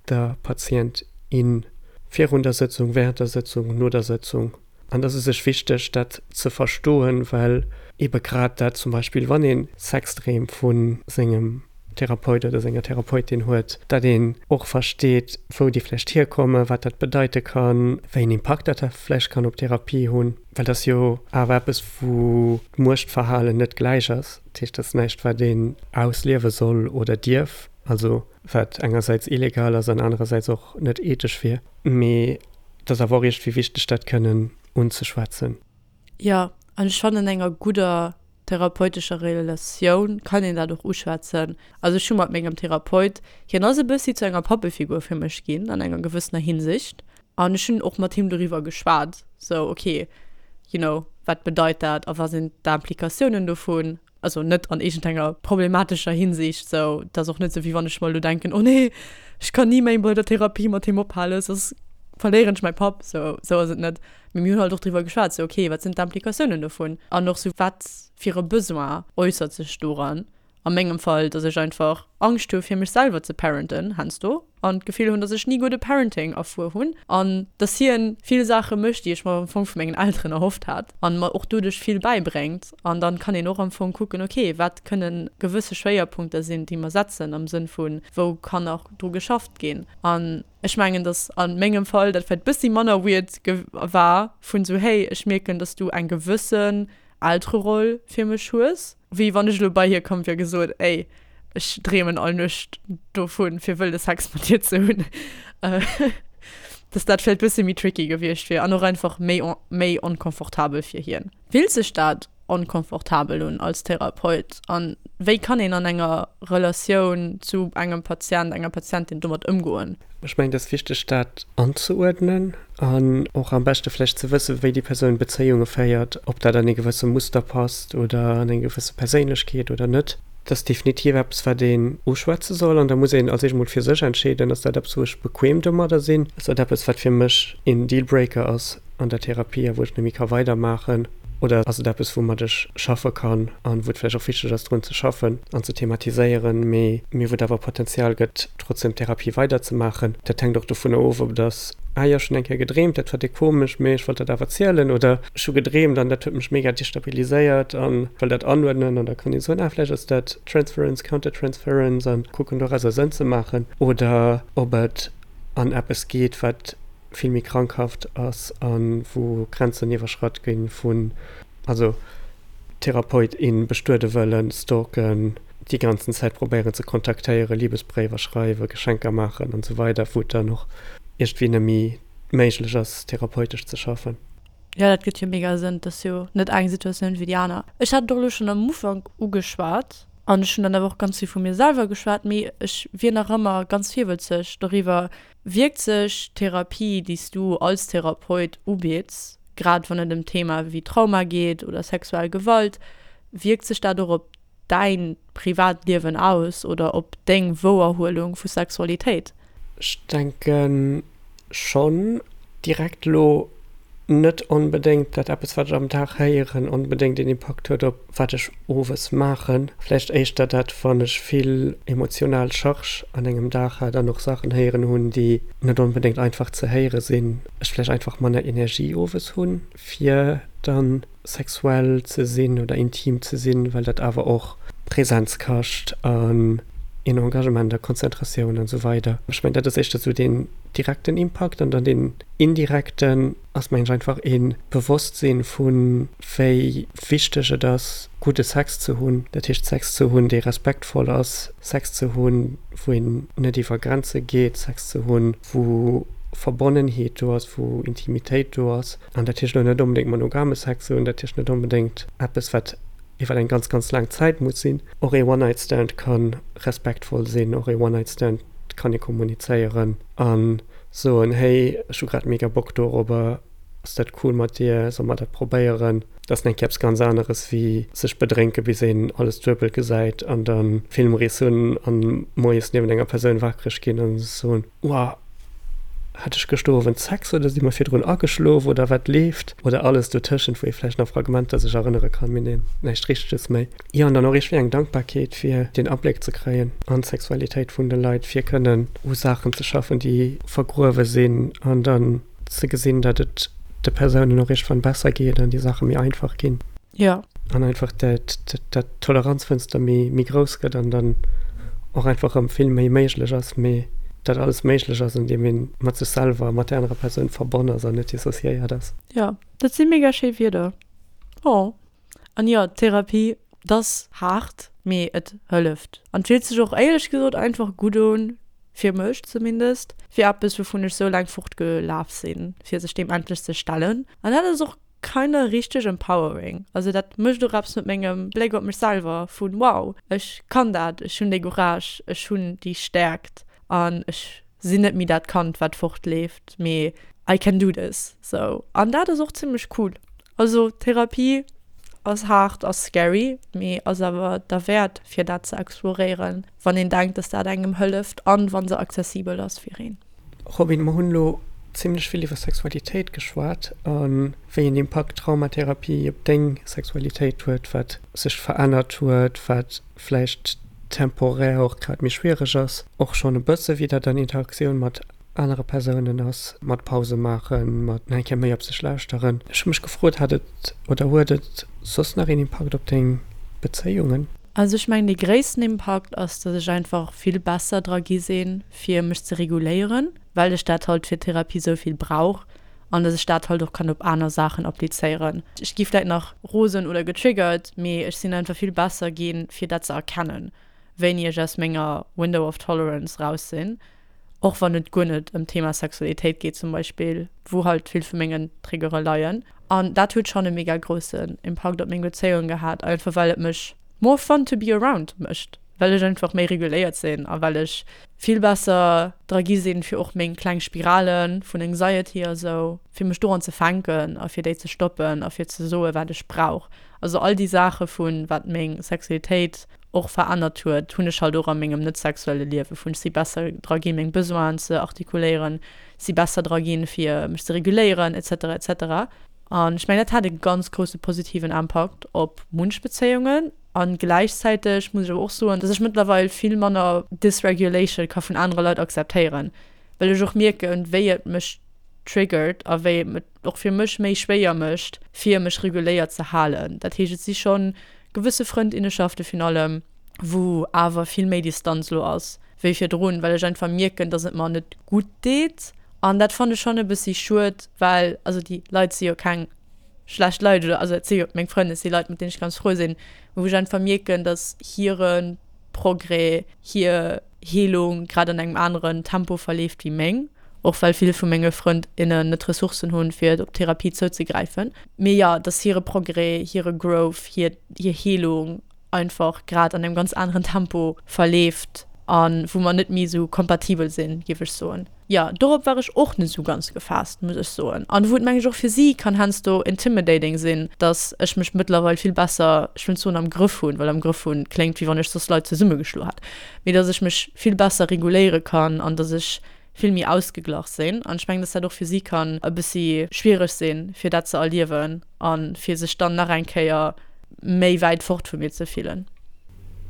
der Patient, in virun der Sëtzung, während der Sëtzung, no der Sëtzung. An et ass u sech wichteg dat ze verstoen, well ebe grad dat zum Beispill wann ee Sexdreem vu sengem Therapeut oder senger Therapeutin huet, datt een och versteet, wou déi vläicht hierkommen, wat dat bedeite kann, wéi en Impakt dat vläicht kann op d'Therapie hunn. Well dat ass jo awer eppes, wou d'Muechtverhalen net gläich ass. Dat heescht, dat ass näischt, wat een ausliewe soll oder dierf, also wat engersäits illegal ass an anerersäits och net ethesch wier. Mee et ass awer och iergendwéi wichteg, dat kënnen unzeschwätzen. Jo, an ech fannen, enger gudder therapeutescher Relatioun kann een dat och uschwätzen. Also ech hu mat mengem Therapeut, hien ass e bëssi zu enger Pappefigur fir mech ginn an enger gewëssener Hinsicht an ech hunn och mat him doriwwer geschwat, sou okay, you know, wat bedeit dat a wat sinn d'Implikatiounen dovun, also net an iergendenger problematescher Hinsicht, sou et ass och net sou wéi wann ech mer elo denken, oh nee, ech kann ni méi bei der Therapie mat him ophalen, soss verléieren ech mäi Papp, sou sou ass et net. Mee mir hunn halt och driwwer geschwat, sou okay, wat sinn d'Implikatiounen dovun an och sou wat fir e Besoin äussert sech doran. A mengem Fall, dass ech einfach Angscht hu fir mech selwer ze parenten heiansdo an d'Gefill hunn, dass ech ni gudde Parenting erfuer hunn an dass hien vill Saache mécht, déi ech mer am Fong vu mengen Elteren erhofft hat an mer och doduerch vill bäibréngt. An dann kann een och am Fong kucken, okay, wat kënnen gewësse Schwéierpunkter sinn, déi mer setzen am Sënn vu wou kann nach dru geschafft ginn. An ech mengen, dass a mengem Fall dat vläicht bëssi manner weird war vun sou, hey, ech mierken, dass du eng gewëssen Eltereroll fir mech hues, wéi wann ech elo bei hie komm wier a gesot, ey, ech dreemen all Nuecht dovun, fir wëlde Sex mat dir ze hunn, dass dat vläicht bëssi méi tricky gewiescht wier an och einfach méi méi onkomfortabel fir hien. Fillt sech dat onkomfortabel un als Therapeut an wéi kann een an enger Relatioun zu engem Patient, enger Patientin domat ëmgoen? Ech mengen, et ass wichteg, dat anzeuerdnen an och am beschte vläicht ze wëssen, wéi déi Persoun Bezéiunge féiert, ob dat an ee gewësse Muster passt oder an eng gewësse Perséinlechkeet oder net. Dat ass definitiv eppes, wat een uschwätze soll an da muss een als éischt emol fir sech entscheeden, Ass dat eppes, wou ech bequem domadder sinn? Ass dat eppes, wat fir mech een Dealbreaker ass an der Therapie a wou ech net méi ka weidermaachen? Oder ass et eppes, woumat ech schaffe kann an wou et vläicht och wichteg ass, drun ze schaffen an ze thematiséieren, mee wou et awer Potenzial gëtt, trotzdem d'Therapie weiderzemaachen? Dat hänkt och dovunner of, ob et ass, Ah jo, ech hunn eng Kéier gedreemt, dat war déck komesch, mee ech wollt dat awer zielen, oder ech hu gedreemt an dat huet mech mega destabiliséiert an wëll dat anuerdnen. An da kann ee soen, ah, vläicht ass dat Transference, Countertransference an kucken, dorauser Sënn ze maachen. Oder ob et an eppes geet, wat vill méi krankhaft ass a wou Grenzen iwwerschratt gi vun, also Therapeut, in bestuede wëllen, stalken, déi ganzen Zäit probéieren ze kontaktéieren, Libesbréiwer schreiwen, Geschenker maachen an esou weider, wou et dann och iergendwéi net méi méiglech ass, therapeutesch ze schaffen. Jo, dat gëtt jo mega Sënn. Et ass jo net eng Situatioun wéi déi aner. Ech hat et och elo schonn am Ufank ugeschwat an ech hunn dann awer och ganz vill vu mir selwer geschwat, mee ech wier nach ëmmer ganz virwëtzeg doriwwer, Wierkt sech d'Therapie, déi s du als Therapeut ubids, grad wann et ëm Themae wéi Trauma geet oder sexuell Gewalt, wierkt sech dat och op däin Privatliewen aus oder op deng Wouerhuelung vu Sexualitéit? Ech denke schonn. Direkt elo net onbedéngt, dat eppes, wat ech am Dag héieren, onbedéngt een Impakt huet op wat ech owes maachen. Vläicht éischter dat, wann ech vill emotional Charge an engem Dag hat an och Saachen héieren hunn, déi net onbedéngt einfach ze héiere sinn, ech vläicht einfach manner Energie owes hunn, fir dann sexuell ze sinn oder intim ze sinn, well dat awer och Präsenz kascht an een Engagement a Konzentratioun an esou weider. Ech mengen, dat ass éischter esou deen direkten Impakt an dann deen indirekten ass, mengen ech, einfach ee Bewosstsinn vu wéi wichteg et ass, gudde Sex ze hunn, dat heescht Sex ze hunn, dee respektvoll ass, Sex ze hunn, wou een net iwwer Grenze geet, Sex ze hunn, wou Verbonnenheet do ass, wou Intimitéit do ass. An dat heescht elo net onbedéngt monogame Sex ze hunn, dat heescht net onbedéngt eppes, wat iwwer eng ganz, ganz laang Zäit muss sinn. Och ee One-Night-Stand ka respektvoll sinn, och ee One-Night-Stand kann ee kommunizéieren a soen, hey, ech hu grad mega Bock dorobber, ass dat cool mat dir, solle mer dat probéieren? Dat ass nach eng Kéier eppes ganz aneres wéi sech bedrénke bis een alles duebel gesäit an da Filmriss hunn a moies niewent enger Persoun waakreg ginn a soen, Uah, hat ech gëschter Owend Sex oder si mer virdrun ageschlof oder wat leeft? Oder alles dotëschent, wou ee vläicht nach Fragmenter sech erënnere kann, mee näischt Richteges méi. Jo, an dann och iergendwéi eng Dankbarkeet, fir deen Abléck ze kréien an d'Sexualitéit vun de Leit, fir kënnen u Saachen ze schaffen, déi vergruewe sinn an dann ze gesinn, datt et de Persounen och iergendwann besser geet an déi Saache méi einfach ginn. Jo. An einfach dat, dat d'Toleranzfënster méi, méi grouss gëtt an dann och einfach erëm vill méi méiglech ass, mee dat alles méiglech ass, andeem ee mat sech selwer a mat där anerer Persoun verbonn ass an net dissociéiert ass. Jo, dat si mega schéi Wierder. Oh. An jo, Therapie, 't ass haart, mee et hëlleft. An 't fillt sech och éierlech gesot einfach gutt un, fir mech zumindest, fir eppes, wouvun ech sou laang fortgelaf sinn, fir sech deem endlech ze stellen. An dat ass och kinda richteg empowering. Also dat mécht och eppes mat mengem Bléck op mech selwer vun wow, ech kann dat, ech hunn dee Courage, ech hunn déi Stäerkt an ech sinn net méi dat Kand wat fortleeft, mee I can do this. Sou an dat ass och zimmlech cool. Also Therapie ass haart, ass scary, mee ass awer derwäert fir dat ze exploréieren, wann een denkt, dass dat engem hëlleft an wa se accessibel ass fir een. Robin, mer hunn elo zimlech vill iwwer Sexualitéit geschwat a wéi en Impakt Traumatherapie op deng Sexualitéit huet, wat sech verännert huet, wat vläicht temporär och grad méi schwiereg ass, och schonn e bësse wéi dat an Interaktioun mat anere Persounen ass, mat Pause maachen, mat nach eng Kéier méi op sech lauschteren. Ech hu mech gefrot, hat et oder huet et soss nach een Impakt op deng Bezéiungen? Also ech mengen dee gréissten Impakt ass, dass ech einfach vill besser dra gi sinn, fir mech ze reguléieren, well ech dat halt fir d'Therapie sou vill brauch an dass ech dat halt och kann op aner Saachen applizéieren. Ech gi vläit nach rosen oder getriggert, mee ech sinn einfach vill besser ginn, fir dat ze erkennen, wéini ech aus menger Window of Tolerance raus sinn, och wann et guer net ëm d'Thema Sexualitéit geet zum Beispill, wou halt vill vu mengen Triggere leien. An dat huet schonn e mega groussen Impakt op meng Bezéiung gehat, einfach well et mech more fun to be around mécht, well ech einfach méi reguléiert sinn a well ech vill besser dra gi sinn, fir och meng kleng Spirale vun Anxiety a sou, fir mech doran ze fänken a fir déi ze stoppen a fir ze soe wat ech brauch. Also all déi Saache vun wat meng Sexualitéit och verännert huet, hunn ech halt och a mengem net sexuelle Liewe vun ech si besser dra ginn, meng Besoinen ze artikuléieren, si besser dra ginn, fir mech ze reguléieren et cetera et cetera. An ech mengen, dat hat e ganz grousse positiven Impakt op munch Bezéiungen. An gläichzäiteg muss ech awer och soen, dass ech mëttlerweil vill manner Dysregulation ka vun anere Leit akzeptéieren, well ech och mierken, wéi et mech triggert a wéi et et och fir mech méi schwéier mécht, fir mech reguléiert ze halen. Dat heescht, et si schonn gewësse Frëndinnenschafte virun allem, wou awer vill méi Distanz lo ass wéi virdrun, well ech einfach mierken, dass et mer net gutt deet. An dat fannen ech schonn e bëssi schued, well also déi Leit si jo keng schlecht Leit oder also et si jo meng Frënn, et si Leit, mat deenen ech ganz frou sinn, mee wou ech einfach mierken, dass hire Progrès, hir Heelung grad an engem aneren Tempo verleeft wéi meng, och well vill vu menge Frënd, innen net d'Ressourcen hunn, fir op Therapie zouzegräifen. Mee jo, dass hire Progrès, hire Growth, hir hir Heelung einfach grad an engem ganz aneren Tempo verleeft a wou mer net méi esou kompatibel sinn, géif ech soen. Jo, dorop war ech och net esou ganz gefaasst, muss ech soen. An wou et meng ech och fir si kann heiansdo intimidating sinn, dass ech mech mëttlerweil vill besser, ech wëll net soen am Grëff hunn, well am Grëff hunn kléngt wéi wann ech soss Leit zesummegeschloe hätt, mee dass ech mech vill besser reguléiere kann an dass ech vill méi ausgeglach sinn. An ech mengen, dass dat och fir si kann e bëssi schwiereg sinn, fir dat ze erliewen a fir sech dann nach eng Kéier méi wäit fort vu mir ze fillen.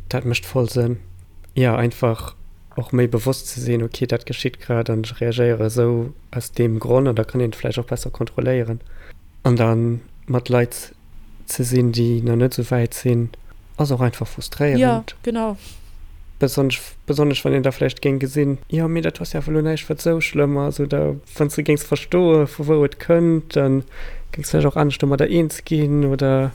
Dat mécht voll Sënn. Jo, einfach och méi bewosst ze sinn, ok, dat geschitt grad an ech reagéiere esou aus deem Gronn an da kann een et vläicht och besser kontrolléieren. An da mat Leit ze sinn, déi nach net esou wäit sinn, ass och einfach frustréierend. Jo, genau. Besonnesch, besonnesch wann een da vläicht géing gesinn, jo, mee dat ass jo awer elo näischt, wat esou schlëmm ass, oder wann s de géings verstoe vu wou et kënnt, da géings vläicht och anescht domadder eens ginn, oder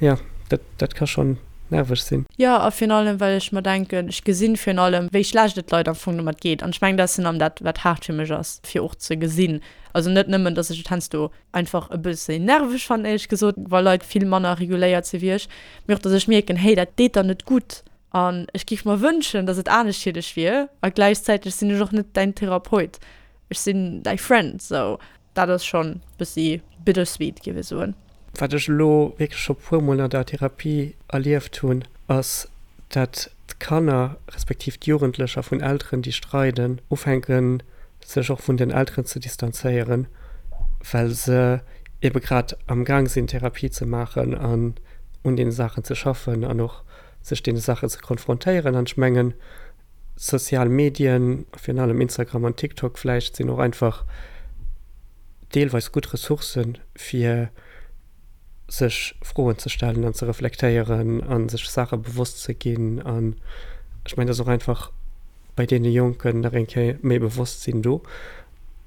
jo, dat, dat ka schonn nerveg sinn. Jo, a virun allem, well ech mer denken, ech gesinn virun allem, wéi schlecht et Leit am Fong domat geet. An ech mengen, dat ass virun allem dat, wat haart fir mech ass, fir och ze gesinn. Also net nëmmen, dass ech et heiansdo einfach e bësse nerveg fannen, éierlech gesot, wa Leit vill manner reguléiert si wéi ech, mee och, dass ech mierken, hey, dat deet der net gutt. An ech géif mer wënschen, dass et anescht fir dech wier. A gläichzäiteg sinn ech och net däin Therapeut, ech sinn däi Friend. Sou, dat ass schonn e bëssi bittersweet, géif ech soen. Wat ech elo wierklech scho puer mol an der Therapie erlieft hunn, ass, dat d'Kanner, respektiv d'Jugendlecher vun Elteren, déi streiden, ufänken, sech och vun den Elteren ze distanzéieren, well se ebe grad am Gaang sinn, Therapie ze maachen an un deene Saachen ze schaffen an och sech deene Saachen ze konfrontéieren. An ech mengen, sozial Medien, virun allem Instagram an TikTok vläicht, sinn och einfach deelweis gutt Ressourcen, fir sech Froen ze stellen an ze reflektéieren a sech Saache bewosst ze ginn. An ech mengen, et ass och einfach bei deene Jonken nach eng Kéier méi Bewosstsinn do.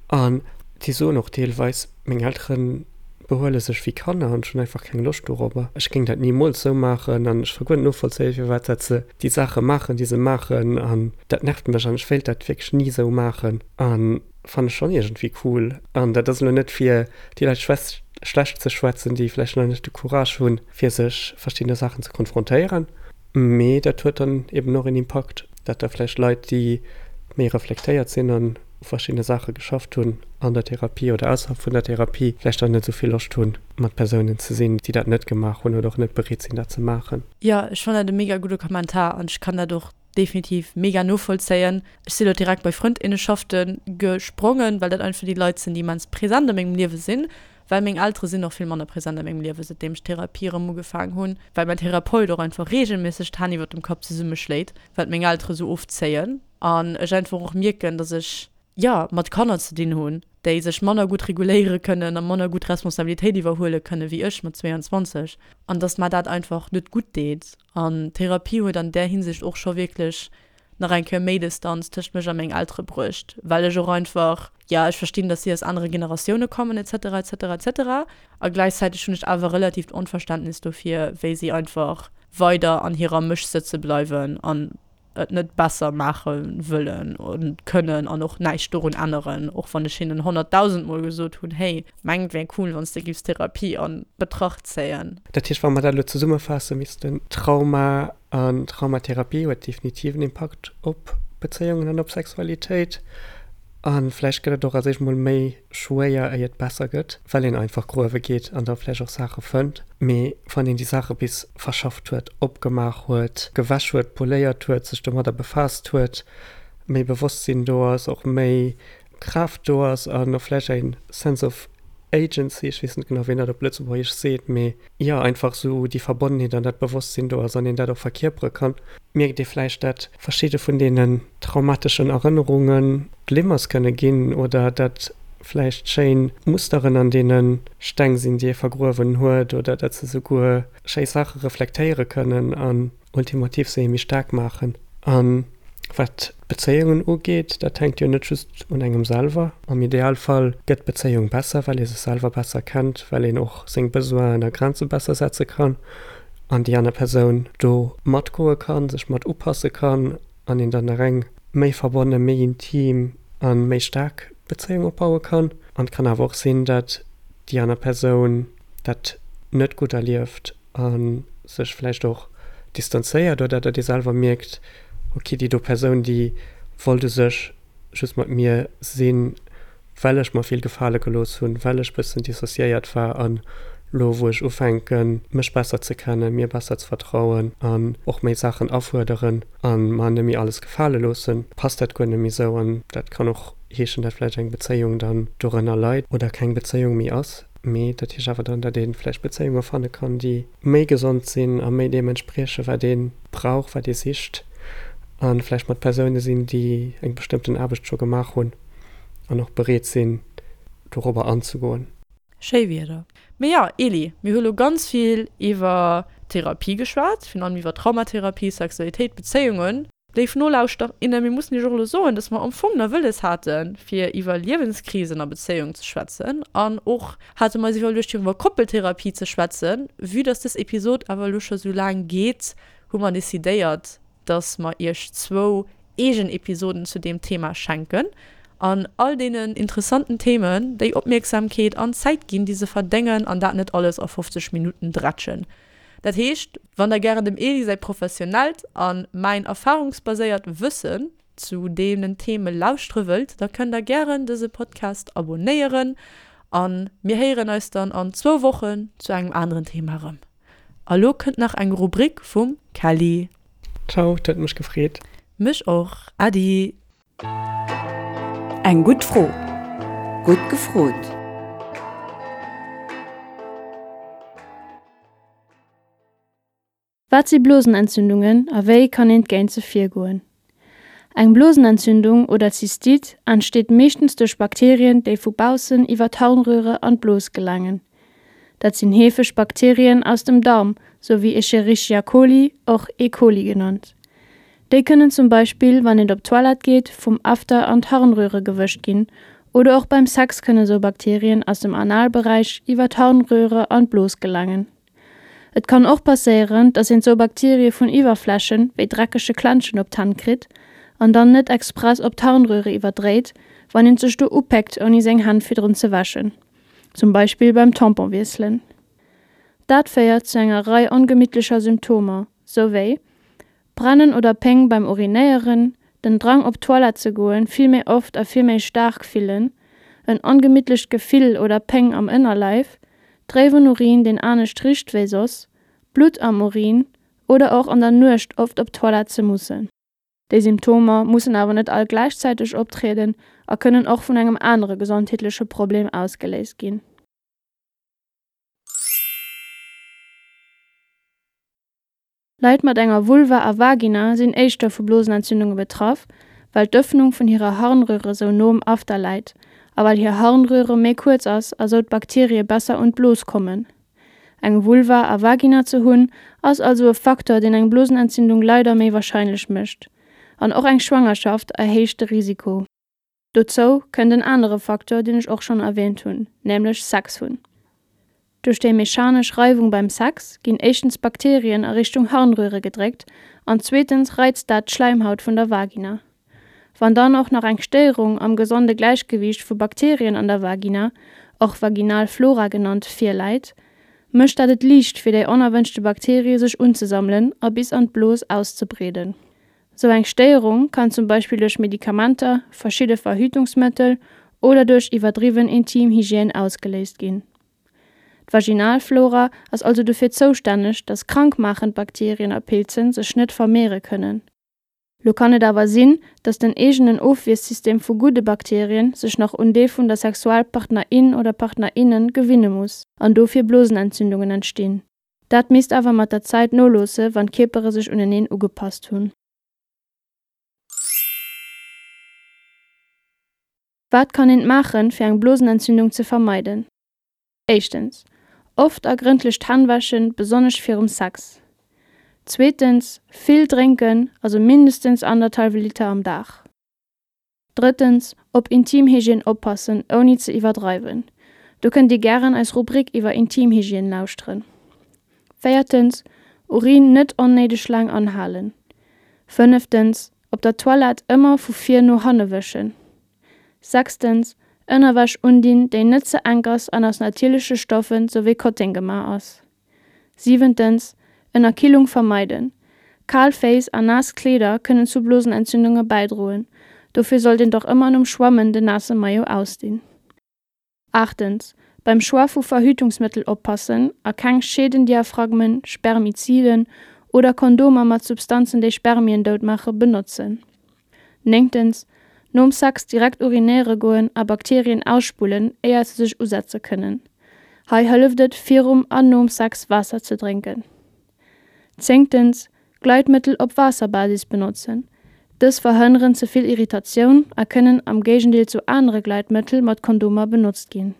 An déi soen och deelweis, meng Eltere behuele sech wéi Kanner an ech hunn einfach keng Loscht dorobber. Ech géing dat nimools esou maachen an ech ka guer net novollzéien, firwat dat se déi Saache maachen, déi se maachen an dat nervt mech an ech wéilt dat wierklech ni esou maachen. An fannen ech schonn iergendwéi cool. An dat ass elo net fir déi Leit schlecht ze schwätzen, déi vläicht nach net de Courage hunn, fir sech verschiddene Saachen ze konfrontéieren. Mee dat huet dann eben och en Impakt, dat da vläicht Leit, déi méi reflektéiert sinn an u verschiddene Saache geschafft hunn an der Therapie oder ausserhalb vun der Therapie, vläicht dann net esou vill Loscht hunn, mat Persounen ze sinn, déi dat net gemaach hunn oder och net bereet sinn, dat ze maachen. Jo, ech fannen dat e mega gudde Kommentar an ech kann dat och definitiv mega novollzéien. Ech si lo direkt bei Frëndinnenschaften gesprongen, well dat einfach déi Leit sinn, déi immens present a mengem Liewe sinn, well meng Eltere sinn och vill manner present a mengem Liewe säitdeem ech Therapie erëm ugefaangen hunn, well mäin Therapeut och einfach reegelméisseg d'Hänn iwwert dem Kapp zesummeschléit, wat meng Eltere sou oft zéien an ech einfach och mierken, dass ech, jo, mat Kanner ze dinn hunn, déi sech manner gutt reguléiere kënnen a manner gutt Responsabilitéit iwwerhuele kënne wéi ech mat zweeanzwanzeg an dass mer dat einfach net gutt deet. An Therapie huet an där Hinsicht och scho wierklech nach eng Kéier méi Distanz tëscht mech a meng Eltere bruecht, well ech och einfach, jo, ech verstinn, dass si aus anere Generatioune kommen et cetera et cetera et cetera a gläichzäiteg hunn ech awer relatiivt Onverständnis dofir, wéi si einfach weider an hirer Mësch sëtze bleiwen an et net besser maache wëllen an kënnen an och näischt dorun änneren, och wann ech hinnen honnertdausend Mol gesot hunn, hey, mengen et wär cool, wann s de giffs Therapie an Betracht zéien. Dat heescht, wa mer dat elo zesummefaasse missten, Trauma an Traumatherapie huet definitiv en Impakt op Bezéiungen an op Sexualitéit. A vläicht gëtt et och als éischt mol méi schwéier, éier et besser gëtt, well een einfach gruewe geet an da vläicht och Saache fënnt. Mee wann een déi Saache bis verschafft huet, opgemaach huet, gewäsch huet, poléiert huet, sech domadder befaasst huet, méi Bewosstsinn do ass, och méi Kraaft do ass an och vläicht eng Sense of Agency, ech weess net genau, wéi een dat op Lëtzebuergesch seet, mee jo, einfach esou déi Verbonnenheet an dat Bewosstsinn do ass an een dat och verkierpere kann, mierkt ee vläicht, dat verschidde vun deenen traumateschen Erënnerunge Glimmers kënne ginn oder dat vläicht schéin Musteren an deene Steng sinn, déi ee vergruewen huet oder dat se souguer schéi Saache reflektéiere kënnen an ultimativ se ee méi staark maachen. An wat d'Bezéiungen ugeet, dat hänkt jo net just un engem selwer. Am Idealfall gëtt d'Bezéiung besser, well ee sech selwer besser kennt, well een och seng Besoinen a Grenze besser setze kann an déi aner Persoun do matgoe kann, sech mat upasse kann an een dann nach eng méi verbonne, méi intim a méi staark Bezéiung opbaue kann. An et kann awer och sinn, datt déi aner Persoun dat net gutt erlieft a sech vläicht och distanzéiert oder datt ee selwer mierkt, ok, déi do Persoun, déi wollt u sech just mat mir sinn, well ech mer vill gefale gelooss hunn, well ech bëssen dissociéiert war an lo wou ech ufänken, mech besser ze kennen, mir besser ze vertrauen an och méi Saachen afuerderen a mer net méi alles gefale loossen, passt dat guer net méi sou. An dat kann och heeschen, dat vläicht eng Bezéiung dann dorënner leit oder keng Bezéiung méi ass. Mee dat heescht awer dann, datt ee vläicht Bezéiunge fanne kann, déi méi gesond sinn a méi deem entspriechen, wat ee brauch, wat ee sicht, a vläicht mat Persoune sinn, déi eng bestëmmten Aarbecht scho gemaach hunn an och bereet sinn, dorobber anzegoen. Schéi Wierder. Mee jo, Eli, mir hu lo ganz vill iwwer Therapie geschwat, virun allem iwwer Traumatherapie, Sexualitéit, Bezéiungen. Léif Nolauschterer, innen, mir mussen iech och elo soen, dass mer am Fong nach wëlles haten, fir iwwer Liewenskrisen a Bezéiungen ze schwätzen. An och hate mer eis iwwerluecht, fir iwwer Koppeltherapie ze schwätzen. Vue dass dës Episod awer elo scho sou laang geet, hu mer decidéiert, dass mer iech zwou eegen Episoden zu deem Thema schenken an all deenen interessanten Themen déi Opmierksamkeet an Zäit ginn, déi se verdéngen, an dat net alles a fofzeg Minutten drätschen. Dat heescht, wann der gären dem Eli säi professionellt a mäin erfarungsbaséiert Wëssen zu deenen Theme lauschtere wëllt, da kënnt der gären dëse Podcast abonéieren a mir héieren eis dann an zwou Wochen zu engem aneren Thema erëm. A lo kënnt nach eng Rubrik vum Kelly. Ciao, et huet mech gefreet. Mech och. Äddi. Eng gutt Fro. Gutt gefrot. Wat si Blosenentzündungen a wéi kann een géint se virgoen? Eng Blosenentzündung oder Zystite entsteet meeschtens duerch Bakterien, déi vu baussen iwwer d'Harnröhre an d'Blos gelaangen. Dat sinn heefeg Bakterien aus dem Daarm, sou wéi Escherichia coli, och E. coli genannt. Déi kënnen zum Beispill, wann een op d'Toilette geet, vum After an d'Harnröhre gewëscht ginn oder och beim Sex kënne sou Bakterien aus dem Analberäich iwwer d'Harnröhre an d'Blos gelaangen. Et kann och passéieren, dass een sou Bakterie vun Iwwerflächen, wéi dreckege Klenschen op d'Hänn kritt an dann net express op d'Harnröhre iwwerdréit, wann een sech do upéckt ouni seng Hänn virdrun ze wäschen. zum Beispill beim Tampon wiesselen. Dat féiert zu enger Rei ongemittlecher Symptomer, sou wéi, Brennen oder Péng beim Urinéieren, den Drang op d'Toilette ze goen vill méi oft a vill méi staark fillen, en ongemittlecht Gefill oder Péng am Ënnerleif, dréiwen Urin deen anescht richt wéi soss, Blutt am Urin oder och an der Nuecht oft op d'Toilette ze mussen. Déi Symptomer mussen awer net all gläichzäiteg optrieden a kënnen och vun engem anere gesondheetleche Problem ausgeléist ginn. Leit mat enger Vulva a Vagina sinn éischter vu Blosenentzündunge betraff, well d'Ëffnung vun hirer Harnröre sou no um After läit a well hir Harnröre méi kuerz ass a sou d'Bakterie besser un d'Blos kommen. Eng Vulva a Vagina ze hunn, ass also e Facteur, deen eng Blosenentzündung leider méi warscheinlech mécht. An och eng Schwangerschaft erhéicht de Risiko. Dozou kënnt en anere Facteur, deen ech och schonn erwäänt hunn, nämlech Sex hunn. Duerch déi mechanesch Reiwung beim Sex ginn éischtens Bakterien a Richtung Harnröre gedréckt an zweetens reizt dat d'Schläimhaut vun der Vagina. Wann dann och nach eng Stéierung am gesonde Gläichgewiicht vu Bakterien an der Vagina, och vaginal Flora genannt, virläit, mécht dat et liicht fir déi onerwënschte Bakterie sech unzesammelen a bis an d'Blos auszebreeden. Sou eng Stéierung kann zum Beispill duerch Medikamenter, verschidde Verhütungsmëttel oder duerch iwwerdriwwen Intimhygiène ausgeléist ginn. D'Vaginalflora ass also dofir zoustänneg, dass krankmaachend Bakterien a Pilzen sech net vermeere kënnen. Lo kann et awer sinn, dass den eegenen Ofwiersystem vu gudde Bakterien sech nach un dee vun der Sexualpartner in oder Partner innen gewinne muss an dofir Blosenentzündungen entstinn. Dat misst awer mat der Zäit noloosse wann d'Kierpere sech uneneen ugepasst hunn. Wat kann een maachen, fir eng Blosenentzündung ze vermeiden? Éischtens, oft a grëndlech d'Hänn wäschen, besonnesch virum Sex. Zweetens, vill drénken, also mindestens anderthalwe Liter am Dag. Drëttens, op Intimhygiène oppassen, ouni ze iwwerdreiwen. Do kënnt dir gären eis Rubrik iwwer Intimhygiène lauschteren. Véiertens, Urin net onnéideg laang anhalen. Fënneftens, op der Toilette ëmmer vu vir no hanne wëschen. Sechstens, Ënnerwäsch undinn, déi net ze enk ass an aus natierleche Stoffen, sou wéi Kotteng gemaach ass. Siwentens, Ënnerkillung vermeiden. Kal Féiss a naass Kleeder kënnen zu Blosenentzündunge bäidroen, dofir sollt een och ëmmer nom Schwammen den naasse Maillot ausdinn. Aachtens, Beim Choix vu Verhütungsmëttel oppassen a keng Scheedendiaphragmen, Spermiziden oder Kondomer mat Substanzen déi Spermien dout maache benotzen. Néngtens, Nom Sex direkt urinéiere goen a Bakterien ausspullen, éier se sech usetze kënnen. Hei hëlleft et, virum an nom Sex Waasser ze drénken. Zéngtens, Gleitmëttel op Waasserbasis benotzen. Dës verhënneren ze vill Irritatioun a kënnen am Géigendeel zu anere Gleitmëttel mat Kondomer benotzt ginn.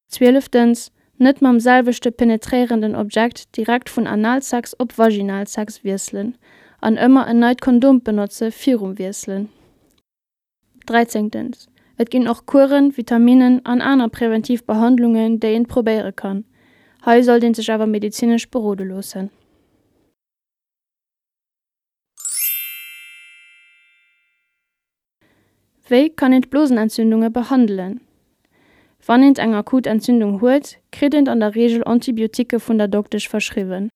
Zwieleftens, Net mam selwechte penetréierenden Objekt direkt vun Analsex op Vaginalsex wiesselen an ëmmer en neit Kondom benotze virum Wiesselen. Dräizéngtens, Et ginn och Kueren, Vitaminnen an aner präventiv Behandlungen, déi een probéiere kann. Hei sollt een sech awer medezinesch berode loossen. Wéi kann een d'Blosenentzündunge behandelen? Wann eent eng akut Entzündung huet, kritt eent an der Reegel Antibioticke vun der Doktesch verschriwwen.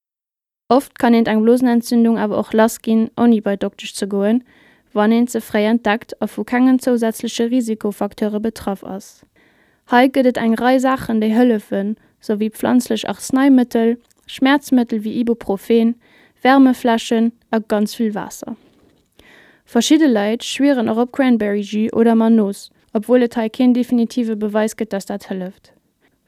Oft kann eent eng Blosenentzündung awer och lass ginn, ouni bei d'Doktesch ze goen, wann eent se fréi entdeckt a vu kengen zousätzleche Risikofacteure betraff ass. Hei gëtt et eng Rei Saachen, déi hëllefen, sou wéi pflanzlech Arzneimittel, Schmäerzmëttel wéi Ibuprofen, Wärmefläschen a ganz vill Waasser. Verschidde Leit schwieren och op Cranberry Jus oder Mannos, obwuel et hei keen definitive Beweis gëtt, dass dat hëlleft.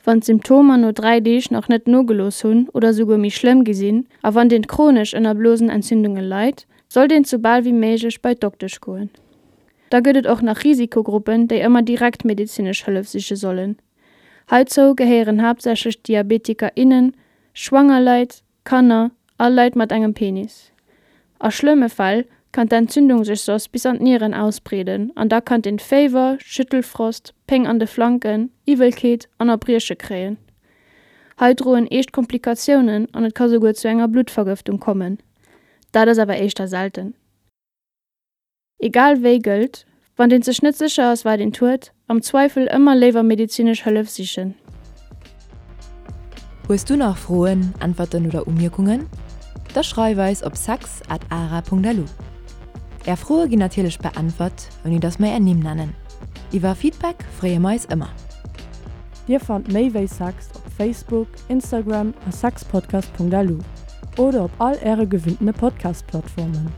Wann d'Symptomer no dräi Deeg nach net nogelooss hunn oder souguer méi schlëmm gi sinn a wann een chronesch ënner Blosenentzündunge leit, sollt een sou bal wéi méiglech bei d'Doktesch goen. Da gëtt et och nach Risikogruppen, déi ëmmer direkt medezinesch Hëllef siche sollen. Heizou gehéieren haaptsächlech Diabetiker, innen, schwanger Leit, Kanner a Leit mat engem Penis. A schlëmme Fäll kann d'Entzündung sech soss bis an d'Nieren ausbreeden an da kann een Féiwer, Schüttelfrost, Péng an de Flanken, Iwwelkeet an Erbrieche kréien. Hei droen eescht Komplikatiounen an et ka souguer zu enger Bluttvergëftung kommen. Dat ass awer éischter selten. Egal wéi gëllt, Wann een sech net sécher ass wat eent huet, Am Zweifel ëmmer léiwer medezinesch Hëllef sichen. Hues du nach Froen, Äntwerten oder Umierkungen? Da schreif eis op sex at ara punkt lu. Är Froe ginn natierlech beäntwert, ouni dass mer är Nimm nennen. Iwwer Feedback freeë mer eis ëmmer. Dir fannt Méi wéi Sex op Facebook, Instagram a sexpodcast.lu oder op all äre gewinntene Podcast-Plattformen.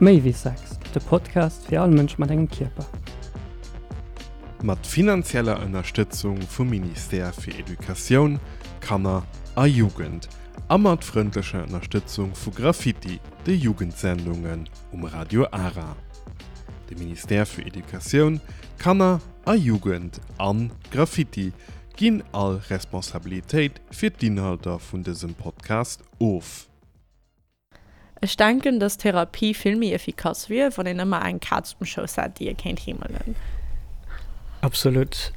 Méi wéi Sex, de Podcast fir all Mënsch mat engem Kierper. Mat finanzieller Ënnerstëtzung vum Ministère fir Educatioun, Kanner a Jugend a mat frëndlecher Ënnerstëtzung vu Graffiti, de Jugendsendungen um Radio Ara. De Ministère fir Educatioun, Kanner a Jugend an Graffiti ginn all Responsabilitéit fir d'Inhalter vun dësem Podcast of. Ech denken, dass Therapie vill méi effikass wier, wann een ëmmer eng Kaz um Schouss hätt, déi ee kéint heemelen. Absolut.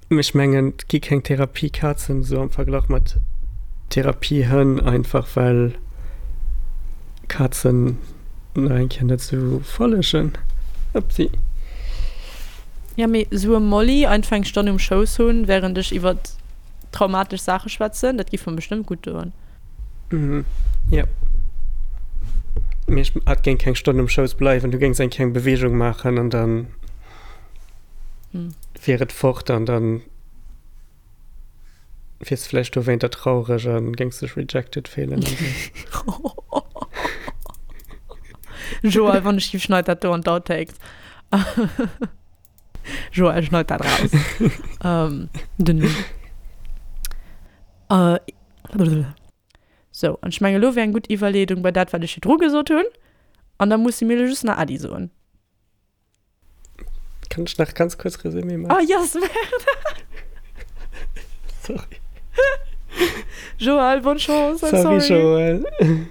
Ech mengen, et gi keng Therapiekazen esou am Verglach mat Therapiehënn, einfach well Kazen nach eng Kéier net esou follegen. Upsi. Ja, mee esou e Molly einfach eng Stonn um Schouss hunn, wärend ech iwwer traumatesch Saache schwätzen, dat giff mer bestëmmt gutt doen. Mhm, ja. Mee ech hat géing keng Stonn um Schouss bleiwen, du géings eng kleng Beweegung maachen an dann wier et fort an dann wiers de vläicht dowéinter traureg an géings dech rejected fillen an sou. Joël, wann ech giff, schneid dat do an d'Outtakes. Joël, schneid dat raus. ähm, den Numm. Äh, Sou, an ech mengen, elo wär eng gutt Iwwerleedung bei dat, wat ech virdru gesot hunn. An da musse mir elo just nach Äddi soen. Kann ech nach ganz kuerz Resumé maachen? Ah, yes, maach dat! Sorry. Joël, bonne chance, I'm Sorry, sorry. Joël.